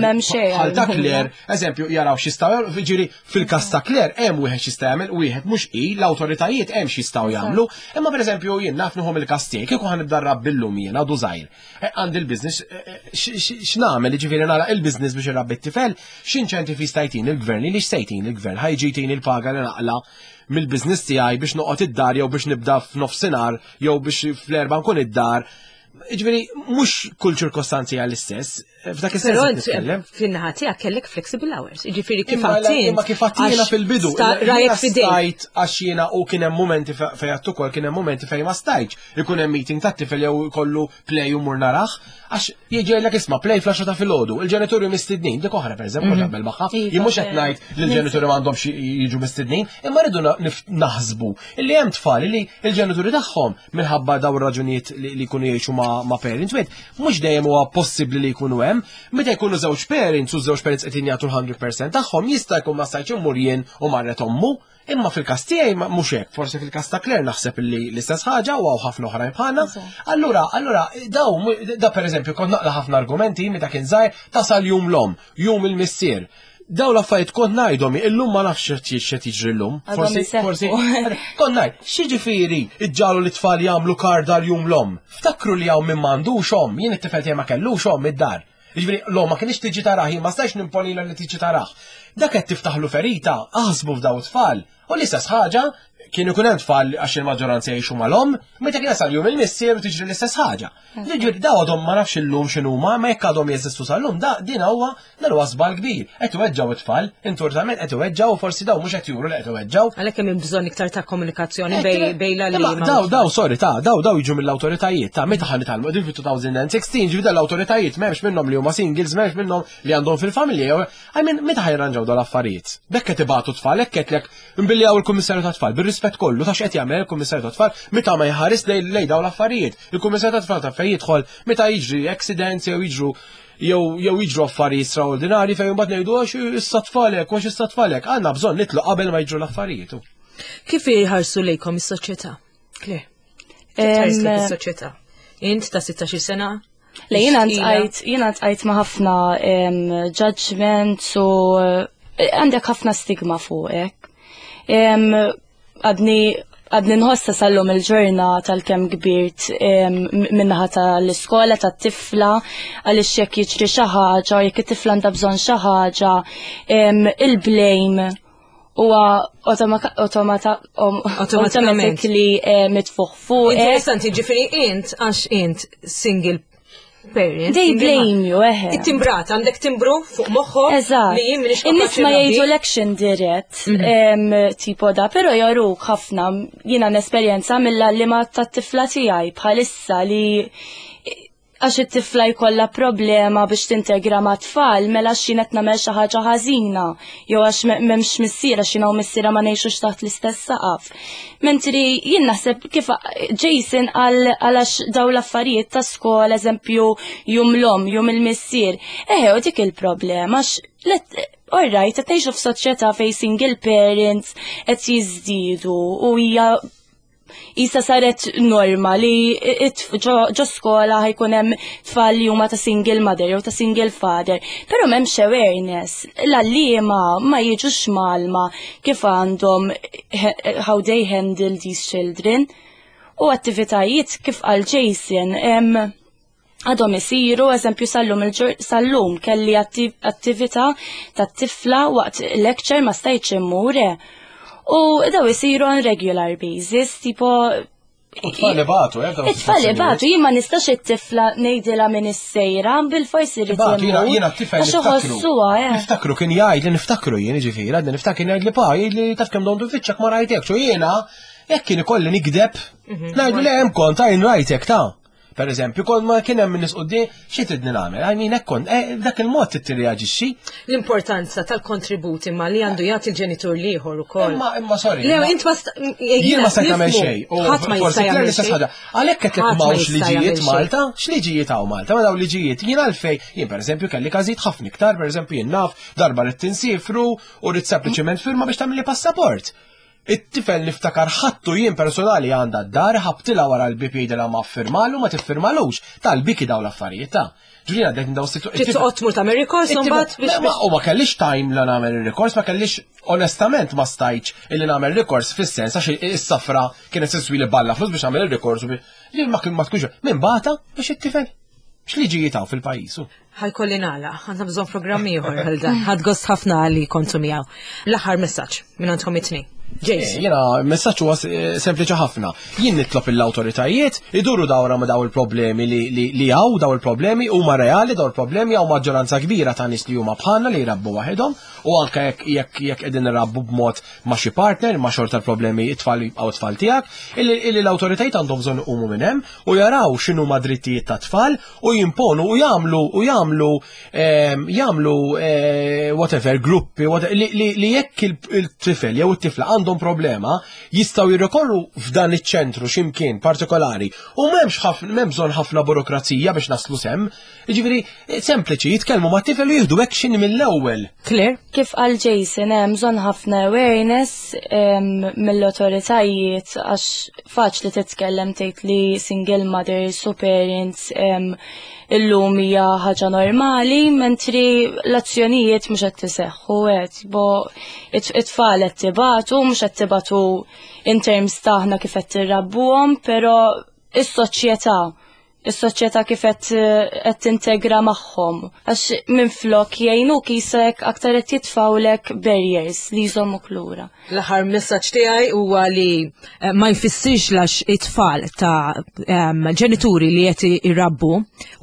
ta' Claire, eżempju, jaraw x'jistgħu ġieri fil-każ ta' Claire hemm wieħed x'jista' jagħmel wieħed mhux hi, l-awtoritajiet hemm x'jistgħu jagħmlu, imma pereżempju jien naf nieħu mill-każ tiegħi kieku ħanibda nrabbi llum jien għadu żgħir. Eh, għandi l-biznis, eh, eh, x'nagħmel jiġifieri nara il-biznis biex irabbi t-tifel, x'inċentiv jista' jtini il-gvern li x'se il-gvern ħajġi jtini l-paga li naqla mill-biznis tiegħi biex noqgħod id-dar jew biex nibda f'nofsinhar jew biex fl-erba' nkun id-dar. Jiġifieri mhux kull ċirkostanzi għall istess F'dak is-sens
nitkellem. Fin-naħa tiegħek kellek flexible hours, jiġifieri kif għattin.
Imma kif għattina fil-bidu.
Rajek
fidejk. Għax jiena u kien hemm momenti fejn għattu ukoll kien hemm momenti fejn ma stajtx. Ikun hemm meeting tat-tifel jew kollu play u mur narax, għax jiġi isma' play fl ta' filgħodu, il-ġenituri mistednin, dik oħra pereżempju mm. naqbel magħha, iva, jien mhux qed ngħid li l-ġenituri m'għandhomx jiġu mistednin, imma rridu naħsbu illi hemm tfal li l-ġenituri tagħhom minħabba daw ir-raġunijiet li jkunu jgħixu ma' parents wieħed, mhux dejjem huwa possibbli li jkunu hemm, meta jkunu żewġ parents u żewġ parents qed jagħtu l-100% tagħhom jista' jkun ma stajtx immur jien u marret ommu, imma fil-każ tiegħi mhux hekk, forsi fil-każ ta' Claire naħseb li l-istess ħaġa u hawn ħafna oħrajn bħalna. Allura, allura daw da pereżempju kont naqla ħafna argumenti meta kien żgħir tasal jum l-om, jum il-missier. Daw l-affarijiet kont ngħidhom illum ma nafx x'qed jiġri llum. Forsi, forsi, kont ngħid, x'jiġifieri iġġalu li tfal jagħmlu karda l-jum l-om. Ftakru li hawn min m'għandux omm, jien it-tifel tiegħi ma kellux omm id-dar. Jiġifieri l-omm ma kienx tiġi tarah, jien ma stajx nimponilha li tiġi tarah. Dak qed tiftaħlu ferita, aħsbu f'daw it-tfal. U l-istess ħaġa, Kien ikun hemm tfal għax il-maġġoranza jgħixu mal-omm, meta kien jasal jum il-missier u tiġri l-istess ħaġa. Jiġifieri daw għadhom ma nafx illum x'inhuma, ma jekk għadhom jeżistu sal-lum, da din huwa dan huwa żball kbir. Qed iweġġgħu it-tfal, intortament qed iweġġgħu u forsi daw mhux qed juru li qed iweġġgħu.
Għalhekk hemm bżonn iktar ta' komunikazzjoni bej l-għalliema.
Daw, daw, sorry, ta' daw, daw jiġu mill-awtoritajiet, ta' meta ħa nitgħallmu qegħdin fi 2016, ġifieri l-awtoritajiet m'hemmx minnhom li huma singles, m'hemmx minnhom li għandhom fil-familja, jew I mean, meta ħa jirranġaw dawn l-affarijiet? B'hekk qed ibatu tfal, hekk qed lek nbiljaw il-Kummissarju tat-Tfal, bir-rispett kollu ta' x'qed jagħmel il-Kummissarju tat-Tfal meta ma jħares lej lej dawn l-affarijiet. Il-Kummissarju tat-Tfal ta' fejn jidħol meta jiġri accidents jew jiġru jew jew jiġru affarijiet straordinarji fejn imbagħad ngħidu għax issa tfalek, għax issa tfalek. Għandna bżonn nitlu qabel ma jiġru l-affarijiet.
Kif jħarsu lejkom is-soċjetà? Claire. Kif tħares lejk is-soċjetà? Int ta' 16 sena?
Le jiena ntqajt jiena ntqajt ma' ħafna judgments u eh, għandek ħafna stigma fuqek. Għadni għadni nħossa sal-lum il-ġurna tal-kem kbirt minnaħa tal-iskola tat-tifla għaliex jekk jiġri xi ħaġa, jekk it-tifla għandha bżonn xi ħaġa, il-blame huwa automatically eh, mitfuħ fuq.
Interessanti, ġifieri int għax int single parent.
They blame you, eħe.
It-timbrat, għandek timbru fuq moħħok.
Eżatt.
Li jien minix
In-nies ma jgħidulekx indirett, mhm. tipo da, però jaruk ħafna jiena nesperjenza mill-għallima tat-tifla tiegħi bħalissa li għax it-tifla jkollha problema biex tintegra ma' tfal, mela għax jien qed nagħmel xi ħaġa ħażina, jew għax m'hemmx missier għax jiena u missierha ma ngħixux taħt l-istess saqaf. Mentri jien naħseb kif Jason qal għax daw l-affarijiet ta' skola, eżempju, jum l-omm, jum il-missier. Eħe, u dik il-problema għax all right, qed ngħixu f'soċjetà fejn single parents qed jiżdiedu u hija Isa saret norma li ġo skola ħajkun hemm tfal li huma ta' single mother jew ta' single father, però m'hemmx awareness. L-għalliema ma jiġux malma kif għandhom how they handle these children. U attivitajiet kif qal Jason, għadhom isiru, eżempju sal-lum sal-lum kelli attività ta' tifla waqt lecture ma stajtx immur. Eh. U daw isiru on regular basis, tipo
It-tfal ibatu, eh?
It-tfal ibatu, jien ma nistax it-tifla ngħidilha minn is-sejra, bil-forsi rrid
Jiena jiena t-tifel niftakru. Eh. Niftakru kien jgħid li niftakru jien ġifieri, għadni niftakru jgħid li pa, jgħid li taf kemm dondu fiċċak ma rajtek, u jiena jekk kien ikolli nikdeb, mhm. ngħidu li hemm kont għajn rajtek ta' Per eżempju, kol ma kien hemm nies quddiem, xi tridni nagħmel? I mean, hekk kont, eh, dak il-mod trid tirreaġixxi.
L-importanza tal-kontribut imma li għandu jagħti l-ġenitur l-ieħor ukoll.
Imma imma sorry.
Le, int ma
jien ma stajt nagħmel xejn.
Ħadd ma jista' jagħmel xejn.
Għalhekk qed lek m'hawnx liġijiet Malta, x'liġijiet hawn Malta? Ma dawn liġijiet jien għalfej, jien pereżempju kelli każijiet ħafna iktar, pereżempju jien naf darba rrid tinsifru u rrid sempliċement firma biex tagħmilli passaport. It-tifel niftakar ħadtu jien personali għandha d-dar, ħabtilha wara l-bieb jgħidilha ma ffirmalu ma tiffirmalux. Tal-biki dawn l-affarijiet ta'. Ġifieri għaddejt minn dawn
is-sitwazzjoni. Trid toqgħod tmur tagħmel rikors imbagħad
biex. Ma u ma kellix time la nagħmel ir-rikors, ma kellix onestament ma stajtx illi nagħmel rikors fis-sens għax is-safra kienet siswi li balla flus biex nagħmel ir-rikors li ma kien ma tkunx minn bata biex it-tifel. X'liġijiet hawn fil-pajjiż?
Ħajkolli nagħlaq, għandna bżonn programm ieħor għal dan. Ħadd gost ħafna li kontu miegħu. L-aħħar messaġġ minn għandkom it-tnejn.
Jason. Eh, jiena messaġġ huwa eh, sempliċi ħafna. Jien nitlob l-awtoritajiet iduru dawra ma' daw il-problemi li hawn daw il-problemi huma reali daw il-problemi hawn maġġoranza kbira ta' nies li huma bħalna li jrabbu waħedhom u anke jekk jekk jekk qegħdin irabbu b'mod ma' xi partner ma' xorta l-problemi it-tfal jibqgħu tfal tiegħek, illi l-awtoritajiet għandhom bżonn iqumu minn hemm u jaraw x'inhuma drittijiet tat-tfal u jimponu u jagħmlu u jagħmlu ehm, jagħmlu eh, whatever gruppi li jekk il-tifel jew it-tifla għandhom problema jistgħu jirrikorru f'dan iċ-ċentru x'imkien partikolari u m'hemmx ħafna m'hemm bżonn ħafna burokrazija biex naslu sem. Jiġifieri eh, sempliċi jitkellmu ma' tifel u jieħdu action mill-ewwel.
Claire?
Kif qal Jason hemm bżonn ħafna awareness ehm, mill-awtoritajiet għax faċli titkellem tgħid li single mothers u parents illum hija ħaġa normali, mentri l-azzjonijiet mhux qed tiseħħu qed bo it-tfal qed tibatu, mhux qed tibatu in terms taħna kif qed tirrabbuhom, però is-soċjetà Is-soċjetà kif qed tintegra magħhom għax minflok jgħinuk jisek aktar qed jitfawlek barriers li jżommuk lura.
L-aħħar messaġġ tiegħi huwa li eh, ma jfissirx lax it-tfal ta' ġenituri li qed irabbu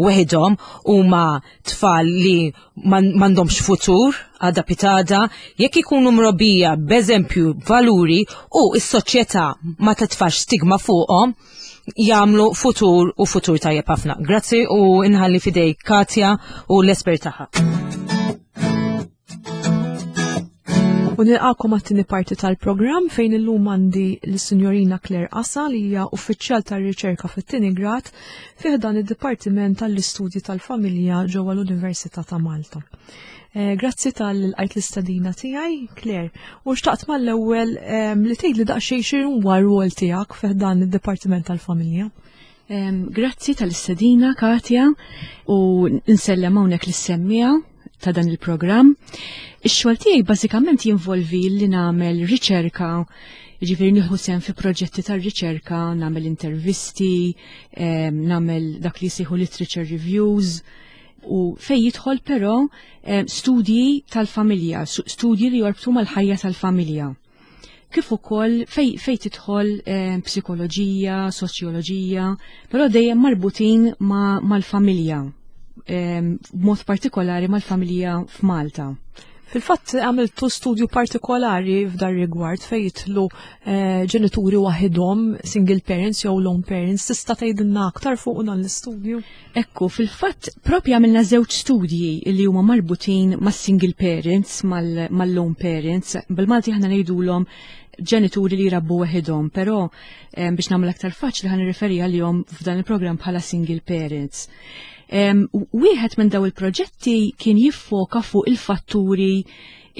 weħidhom huma tfal li m'għandhomx futur għada pitada, jekk ikunu mrobbija b'eżempju valuri u s-soċjetà ma titfax stigma fuqhom, jagħmlu futur u futur tajjeb ħafna. Grazzi u inħalli fidej Katja u l-espert tagħha.
U nilqakom għat-tieni parti tal-programm fejn illum għandi l-Sinjorina Claire Asa li hija uffiċjal tar-riċerka fit-tieni grad fih dan id-Dipartiment tal-Istudji tal-Familja ġewwa l-Università ta' Malta. Eh, grazzi tal-qajt l-istadina tiegħi, Claire. U xtaqt mal-ewwel ehm, li tgħidli daqsxejn x'inhuwa r-rwol tiegħek fih dan id-Dipartiment tal-Familja.
Ehm, grazzi tal-istadina, Katja, u nsellem hawnhekk lis-semmija ta' dan il-programm. Ix-xogħol tiegħi bażikament jinvolvi li nagħmel riċerka Ġifieri nieħu sehem fi proġetti tar-riċerka, nagħmel intervisti, ehm, nagħmel dak li jsejħu literature reviews, u fej jidħol però eh, studji tal-familja, studji li jorbtu mal-ħajja tal-familja. Kif ukoll fej, fej tidħol eh, psikoloġija, soċjoloġija, però dejjem marbutin mal-familja, eh, b'mod partikolari mal-familja f'Malta.
Fil-fatt għamiltu studju partikolari f'dar rigward fejn jitlu eh, ġenituri waħidhom, single parents jew lone parents, tista' tgħidilna aktar fuq dan l-istudju?
Ekku, fil-fatt propja għamilna żewġ studji li huma marbutin mas-single parents, mal-lone parents, bil-Malti aħna ngħidulhom ġenituri li jrabbu waħidhom, però eh, biex nagħmel aktar faċli ħan nirreferi għalihom f'dan il-programm bħala single parents. Wieħed minn daw il-proġetti kien jiffoka fuq il-fatturi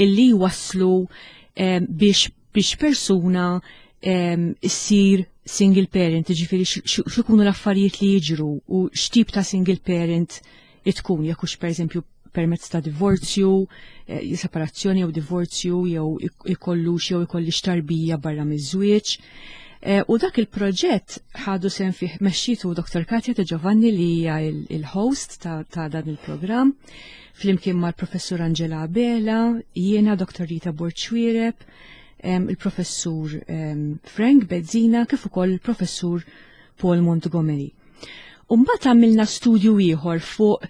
illi waslu biex biex persuna issir single parent, ġifiri x'ikunu l-affarijiet li jiġru u x'tip ta' single parent tkun, jekk hux pereżempju permezz ta' divorzju, eh, separazzjoni jew divorzju jew ikollux jew ikollix tarbija barra miż-żwieġ. Eh, u dak il-proġett ħadu sem fih mexxitu Dr. Katja De Giovanni li hija il-host ta', ta dan il-programm, flimkien mal-professur Angela Abela, jiena Dr. Rita Borċwireb, il-professur Frank Bezzina, kif ukoll il-professur Paul Montgomery. Umbagħad għamilna studju ieħor fuq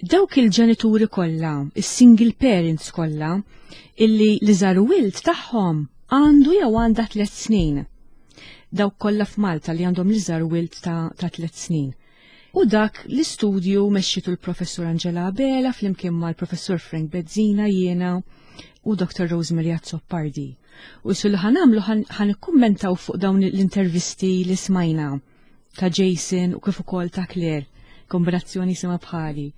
dawk il-ġenituri kollha, is-single parents kollha, illi li żaru wild tagħhom għandu jew għandha tliet snin. Dawk kollha f'Malta li għandhom li żar wild ta', ta tliet snin. U dak l-istudju mexxitu l-professur Angela Abela flimkien mal-professur Frank Bezzina jiena u Dr. Rosemary Azzopardi. U sul ħanamlu ħan ikkummentaw fuq dawn l-intervisti li smajna ta' Jason u kif ukoll ta' Claire kombinazzjoni sema bħali.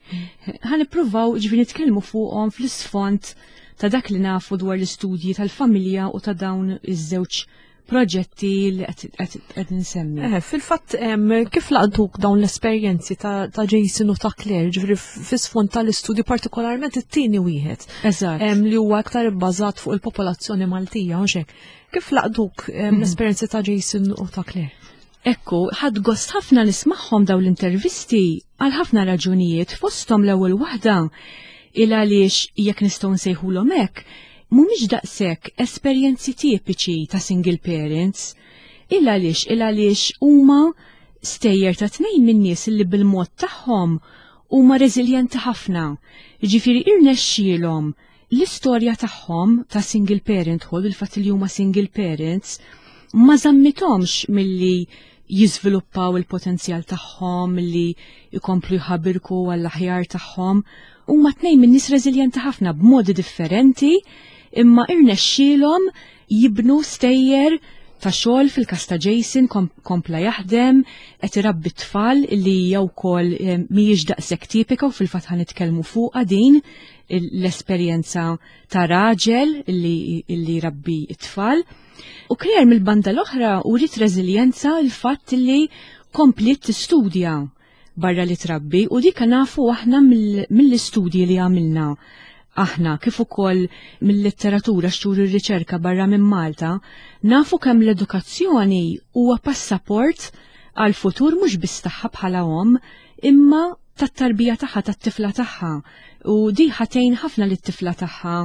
Ħan ippruvaw ġifieri nitkellmu fuqhom fl-isfond ta' dak li nafu dwar l-istudji tal-familja u ta' dawn iż-żewġ proġetti li qed nsemmi.
Eh, fil-fatt kif laqtuk dawn l-esperjenzi ta' Jason u ta' Claire, ġifieri fis-sfond tal-istudju partikolarment it-tieni wieħed.
Eżatt.
Li huwa aktar ibbażat fuq il-popolazzjoni Maltija, mhux hekk. Kif laqtuk l-esperjenzi ta' Jason u ta' Claire?
Ekku, ħadt gost ħafna nismagħhom dawn l-intervisti għal ħafna raġunijiet fosthom l-ewwel waħda il għaliex jekk nistgħu nsejħulhom hekk, mhumiex daqshekk esperjenzi tipiċi ta' single parents. Il għaliex il għaliex huma stejjer ta' tnejn minn nies li bil-mod tagħhom huma reżiljenti ħafna. Jiġifieri irnexxielhom L-istorja tagħhom ta' single parenthood, il-fatt li huma single parents, ma żammithomx milli jiżviluppaw il-potenzjal tagħhom, milli jkomplu jħabirku għall-aħjar tagħhom. Huma tnejn minn nies reżiljenti ħafna b'modi differenti, imma irnexxielhom jibnu stejjer ta' xogħol fil-każ ta' Jason kompla jaħdem, qed irabbi t-tfal li hija wkoll eh, mhijiex daqshekk tipika u fil-fatt ħa nitkellmu fuqha din l-esperjenza ta' raġel li, li rabbi t-tfal. U Claire mill-banda l-oħra uriet reżiljenza l-fatt li kompliet tistudja barra li trabbi u dik nafu aħna mill-istudji li għamilna aħna kif ukoll mill-letteratura xtur ir-riċerka barra minn Malta, nafu kemm l-edukazzjoni huwa passaport għal futur mhux biss tagħha bħala omm, imma tat-tarbija tagħha, tat-tifla tagħha. U di ħatejn ħafna lit-tifla tagħha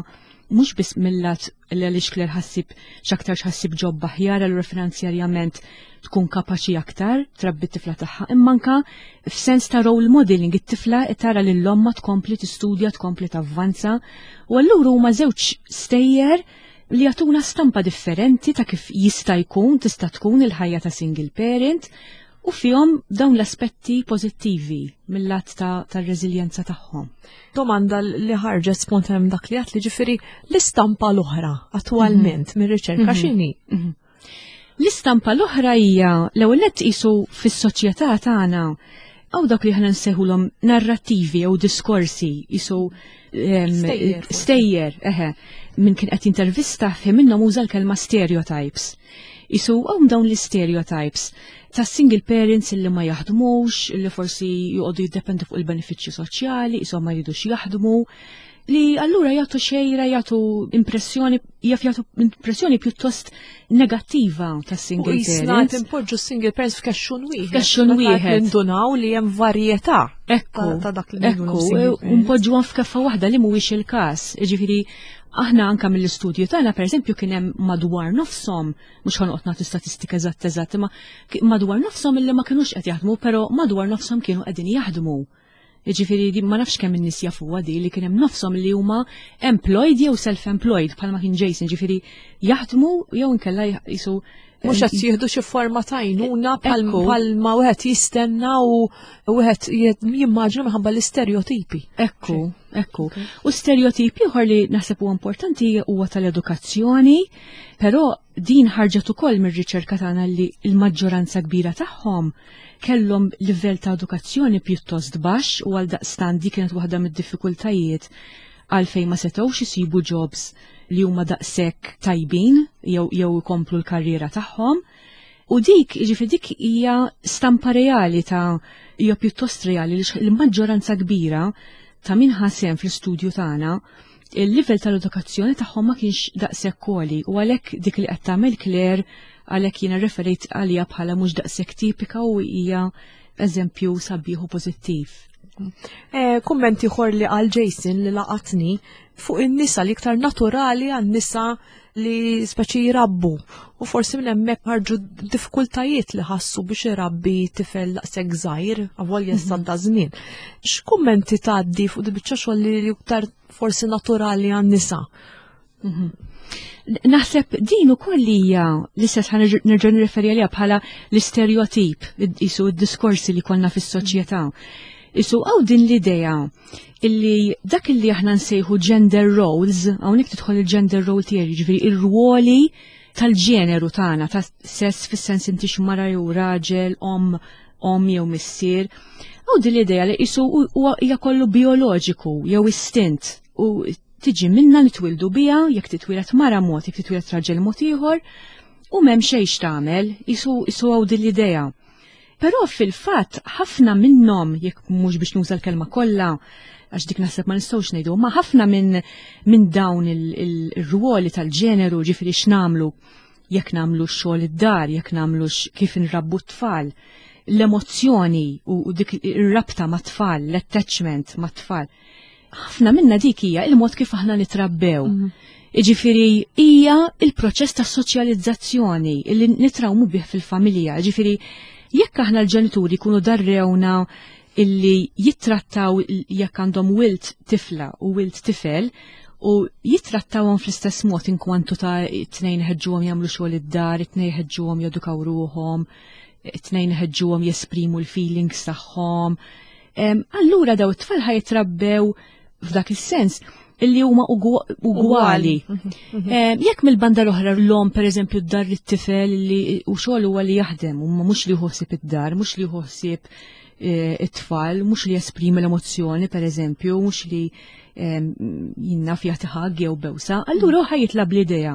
mhux biss mill-lat li għaliex Claire ħassib x'aktar x'ħassib ġob aħjar allura finanzjarjament tkun kapaċi aktar trabbi t-tifla tagħha, imma anka f'sens ta' role modeling it-tifla tara lil ommha tkompli tistudja, tkompli tavvanza u allura huma żewġ stejjer li jagħtuna stampa differenti ta' kif jista' jkun tista' tkun il-ħajja ta' single parent u fihom dawn l-aspetti pożittivi mill-lat tar-reżiljenza tagħhom.
Domanda li ħarġet spontan dak li għat li ġifieri l-istampa l-oħra attwalment mir-riċerka x'inhi?
L-istampa l-oħra hija l-ewwel nett qisu fis-soċjetà tagħna għaw dak li ħana nsejħulhom narrattivi jew diskorsi qisu
Stejjer, forsi.
Stejjer, eħe. Min kien qed jintervista fi minnhom uża l-kelma stereotypes. Isu hawn dawn l-stereotypes ta' single parents illi ma jaħdmux, illi forsi joqogħdu jiddependu fuq il-benefiċċji soċjali, isom ma jridux jaħdmu, li allura jagħtu xejra, jagħtu impressjoni, jaf jagħtu impressjoni pjuttost negattiva ta' single
U jisna
parents.
timpoġġu single parents f'kexxun wieħed.
F'kexxun
Meta qed
wieħed.
Nindunaw li hemm varjetà
Ekku,
ta' dak li ngħidulhom
ekku,
single
u
parents.
npoġġuhom f'keffa waħda li mhuwiex il-każ. Jiġifieri aħna anka mill-istudju tagħna pereżempju kien hemm madwar nofshom, mhux ħanoqgħod nagħtu statistika eżatt eżatt, imma madwar nofshom illi ma kinux qed jaħdmu, però madwar nofshom kienu qegħdin jaħdmu. Jiġifieri di ma nafx kemm in-nies jafuha di li kien hemm nofshom li huma employed jew self-employed bħalma kien Jason, ġifieri jaħdmu jew inkella jisu
Mhux qed jieħdu xi forma ta' għajnuna
Ekku.
bħal ma wieħed jistenna u wieħed jimmaġina minħabba l-istereotipi.
Ekku, ekku. U stereotip ieħor li naħseb huwa importanti huwa tal-edukazzjoni, però din ħarġet ukoll mir-riċerka tagħna li l-maġġoranza kbira tagħhom kellhom livell ta' edukazzjoni pjuttost baxx u għal daqstant di kienet waħda mid-diffikultajiet għalfejn ma setgħux isibu jobs li huma daqshekk tajbin jew ikomplu l-karriera tagħhom. U dik, jiġifieri dik hija stampa reali ta' hija pjuttost reali li l-maġġoranza kbira ta' min ħasem fl-istudju tagħna il-livell tal-edukazzjoni tagħhom ma kienx daqshekk għoli u għalhekk dik li qed tagħmel Claire għalhekk jiena referejt għaliha bħala mhux daqshekk tipika u hija eżempju sabiħ u pożittiv.
Kumment ieħor li qal Jason li laqatni fuq in-nisa li iktar naturali għan-nisa li speċi jrabbu u forsi minn hemmhekk ħarġu diffikultajiet li ħassu biex irabbi tifel daqshekk żgħir avolja issa da żmien. X'kummenti tgħaddi fuq di biċċa xogħol li iktar forsi naturali għan-nisa?
Naħseb din ukoll hija l-istess ħa nerġa' nirreferi għaliha bħala l-istereotip, isu d-diskorsi li konna fis-soċjetà. Isu għaw din l-idea illi dak illi aħna nsejħu gender roles, hawnhekk tidħol il-gender role theory, ġifieri ir-ruoli tal-ġeneru tagħna, ta' sess fis-sens inti mara jew raġel, om jew missier. Għaw din l-idea li isu huwa hija kollu bioloġiku jew istint u tiġi minna nitwildu bija, jekk titwieled mara mod, jekk titwieled raġel mod ieħor, u m'hemm xejn x'tagħmel, isu għaw din l-idea. Però fil-fatt ħafna minnhom, jekk mhux biex nuża l-kelma kollha, għax dik naħseb ma nistgħux ngħidu, ma ħafna minn dawn il-ruoli tal-ġeneru, ġifieri x'nagħmlu, jekk nagħmlu x-xogħol id-dar, jekk nagħmlu kif inrabbu t-tfal, l-emozzjoni u dik ir-rabta mat-tfal, l-attachment mat-tfal. Ħafna minna dik hija il-mod kif aħna nitrabbew. Iġifieri hija il-proċess ta' soċjalizzazzjoni li nitrawmu bih fil-familja. Ġifieri jekk aħna l-ġenituri jkunu darrewna illi jittrattaw jekk għandhom wild tifla u wild tifel u jittrattawhom fl-istess mod inkwantu ta' it-tnejn ħeġġuhom jagħmlu xogħol id-dar, it-tnejn ħeġġuhom jedukaw ruħhom, it-tnejn ħeġġuhom jesprimu l-feelings tagħhom. Allura daw it-tfal ħajtrabbew f'dak is-sens illi huma ugwali. Jekk mill-banda l-oħra l-om pereżempju d-dar it-tifel li u xogħol huwa li jaħdem, u mhux li ħsieb id-dar, mhux li ħsieb it-tfal, mhux li jesprimi l-emozzjoni pereżempju, mhux li jinna jagħti hug jew bewsa, allura hu ħajitla bl-idea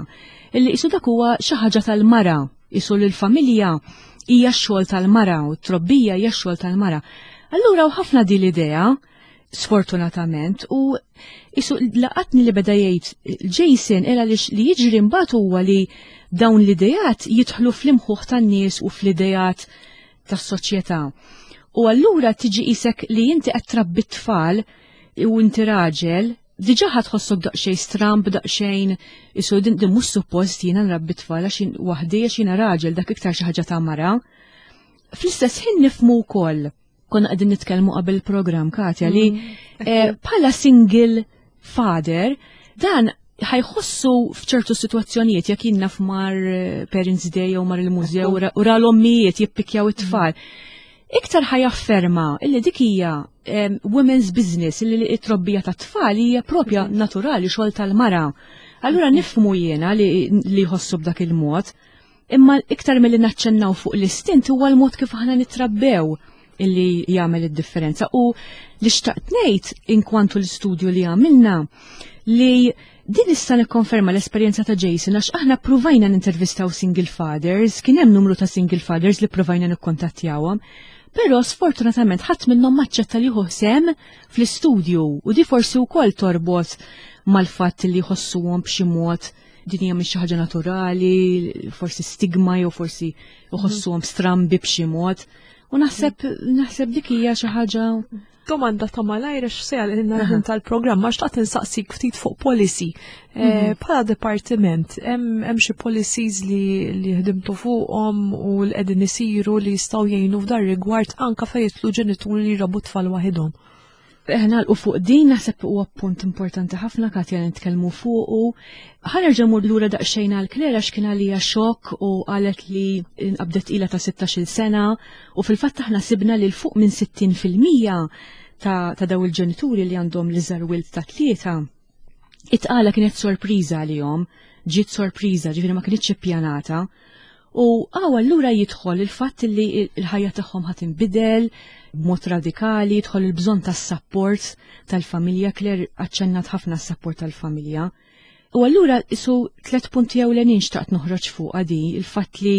illi isu dak huwa xi ħaġa tal-mara, isu l-familja hija x-xogħol tal-mara u t-trobbija hija x-xogħol tal-mara. Allura u ħafna din l-idea, sfortunatament, u isu laqatni li beda jgħid Jason ela li jiġri mbagħad huwa li dawn l-idejat jidħlu fl-imħuħ tan-nies u fl-idejat. tas-soċjetà. U allura tiġi qisek li inti qed trabbi t-tfal u inti raġel, diġà ħa tħossok daqsxejn stramb, daqsxejn isu din din mhux suppost jiena nrabbi tfal għax jien waħdi għax jiena raġel dak iktar xi ħaġa ta' mara. Fl-istess ħin nifhmu wkoll, konna qegħdin nitkellmu qabel il-programm Katja li bħala single father dan ħajħossu f'ċertu sitwazzjonijiet jekk jien naf mar Parents Day jew mar il-mużew u ra l-ommijiet jippikjaw it-tfal. Iktar ħajafferma illi dik hija women's business, illi t-trobbija tat-tfal hija propja naturali xogħol tal-mara. Allura nifhmu jiena li jħossu b'dak il-mod, imma iktar milli naċċennaw fuq l-istint huwa l-mod kif aħna nitrabbew illi jagħmel id-differenza. U li xtaqt ngħid inkwantu l-istudju li għamilna li din issa nikkonferma l-esperjenza ta' Jason għax aħna ppruvajna nintervistaw single fathers, kien hemm numru ta' single fathers li ppruvajna nikkontattjawhom, però sfortunatament ħadd minnhom maċċetta li jieħu sehem fl-istudju u di forsi wkoll torbot mal-fatt li jħossuhom b'xi mod din hija mhix xi ħaġa naturali, forsi stigma jew forsi jħossuhom strambi b'xi mod. U naħseb dik hija xi ħaġa.
Domanda ta' malajr għax se għalina l-ħin tal-programm, ma xtaqt insaqsik ftit fuq policy. Bħala dipartiment, hemm xi policies li ħdimtu fuqhom u li qegħdin isiru li jistgħu jgħinu f'dar rigward anka fejn jidħlu ġenituri li jrabbu tfal waħedhom?
Nagħlqu fuq din, naħseb huwa punt importanti ħafna Katja li nitkellmu fuqu. Ħa nerġa' mmur lura daqsxejn għal Claire għax kien għalija xokk u qalet li nqabdet ilha ta' sittax-il sena u fil-fatt aħna sibna li l fuq minn sittin fil-mija ta' daw il-ġenituri li għandhom l-iżgħar wild ta' 3, it-tqala kienet sorpriża għalihom, ġiet sorpriża, ġifieri ma kinitx ippjanata. U għaw allura jidħol il-fatt li l-ħajja tagħhom ħa tinbidel b'mod radikali, jidħol il-bżonn tas-sapport tal-familja, Claire aċċennat ħafna s-sapport tal-familja. U allura isu 3 punti ewlenin xtaqt noħroġ fuq di, il-fatt li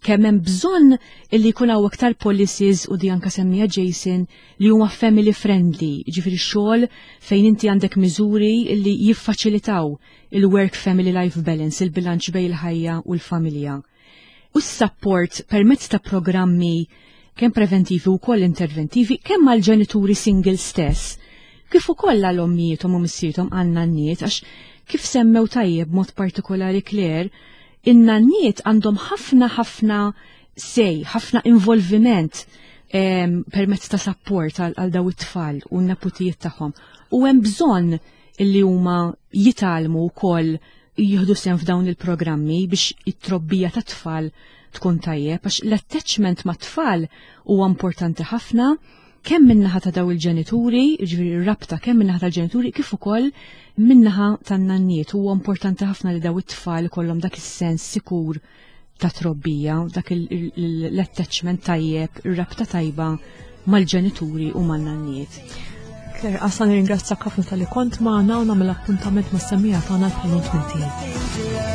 kemm hemm bżonn illi jkun hawn aktar policies u di anka semmija Jason li huma family friendly, ġifieri xogħol fejn inti għandek miżuri li jiffaċilitaw il-work family life balance, il-bilanċ bejn il-ħajja u l-familja. U s-support permezz ta' programmi kemm preventivi u koll interventivi, kemm għal ġenituri single stess, kif ukoll għal ommijietom u missierhom għal nanniet, għax kif semmew tajjeb mod partikolari Claire, in-nanniet għandhom ħafna ħafna sej, ħafna involviment permezz ta' support għal daw it-tfal u n-neputijiet tagħhom. U hemm bżonn illi huma jitgħallmu wkoll jieħdu sehem f'dawn il-programmi biex it-trobbija tat-tfal tkun tajjeb, għax l-attachment mat-tfal huwa importanti ħafna kemm min-naħa ta' daw il-ġenituri, jiġifieri r-rabta kemm min-naħa tal-ġenituri kif ukoll min-naħa tan-nanniet. Huwa importanti ħafna li daw it-tfal ikollhom dak is-sens sikur ta' trobbija, dak l-attachment tajjeb, ir-rabta tajba mal-ġenituri u man-nanniet.
Claire, għasa nirringrazzjak ħafna tal-li kont magħna u nagħmel appuntament mas-semmiegħa tagħna bħal tmintijin.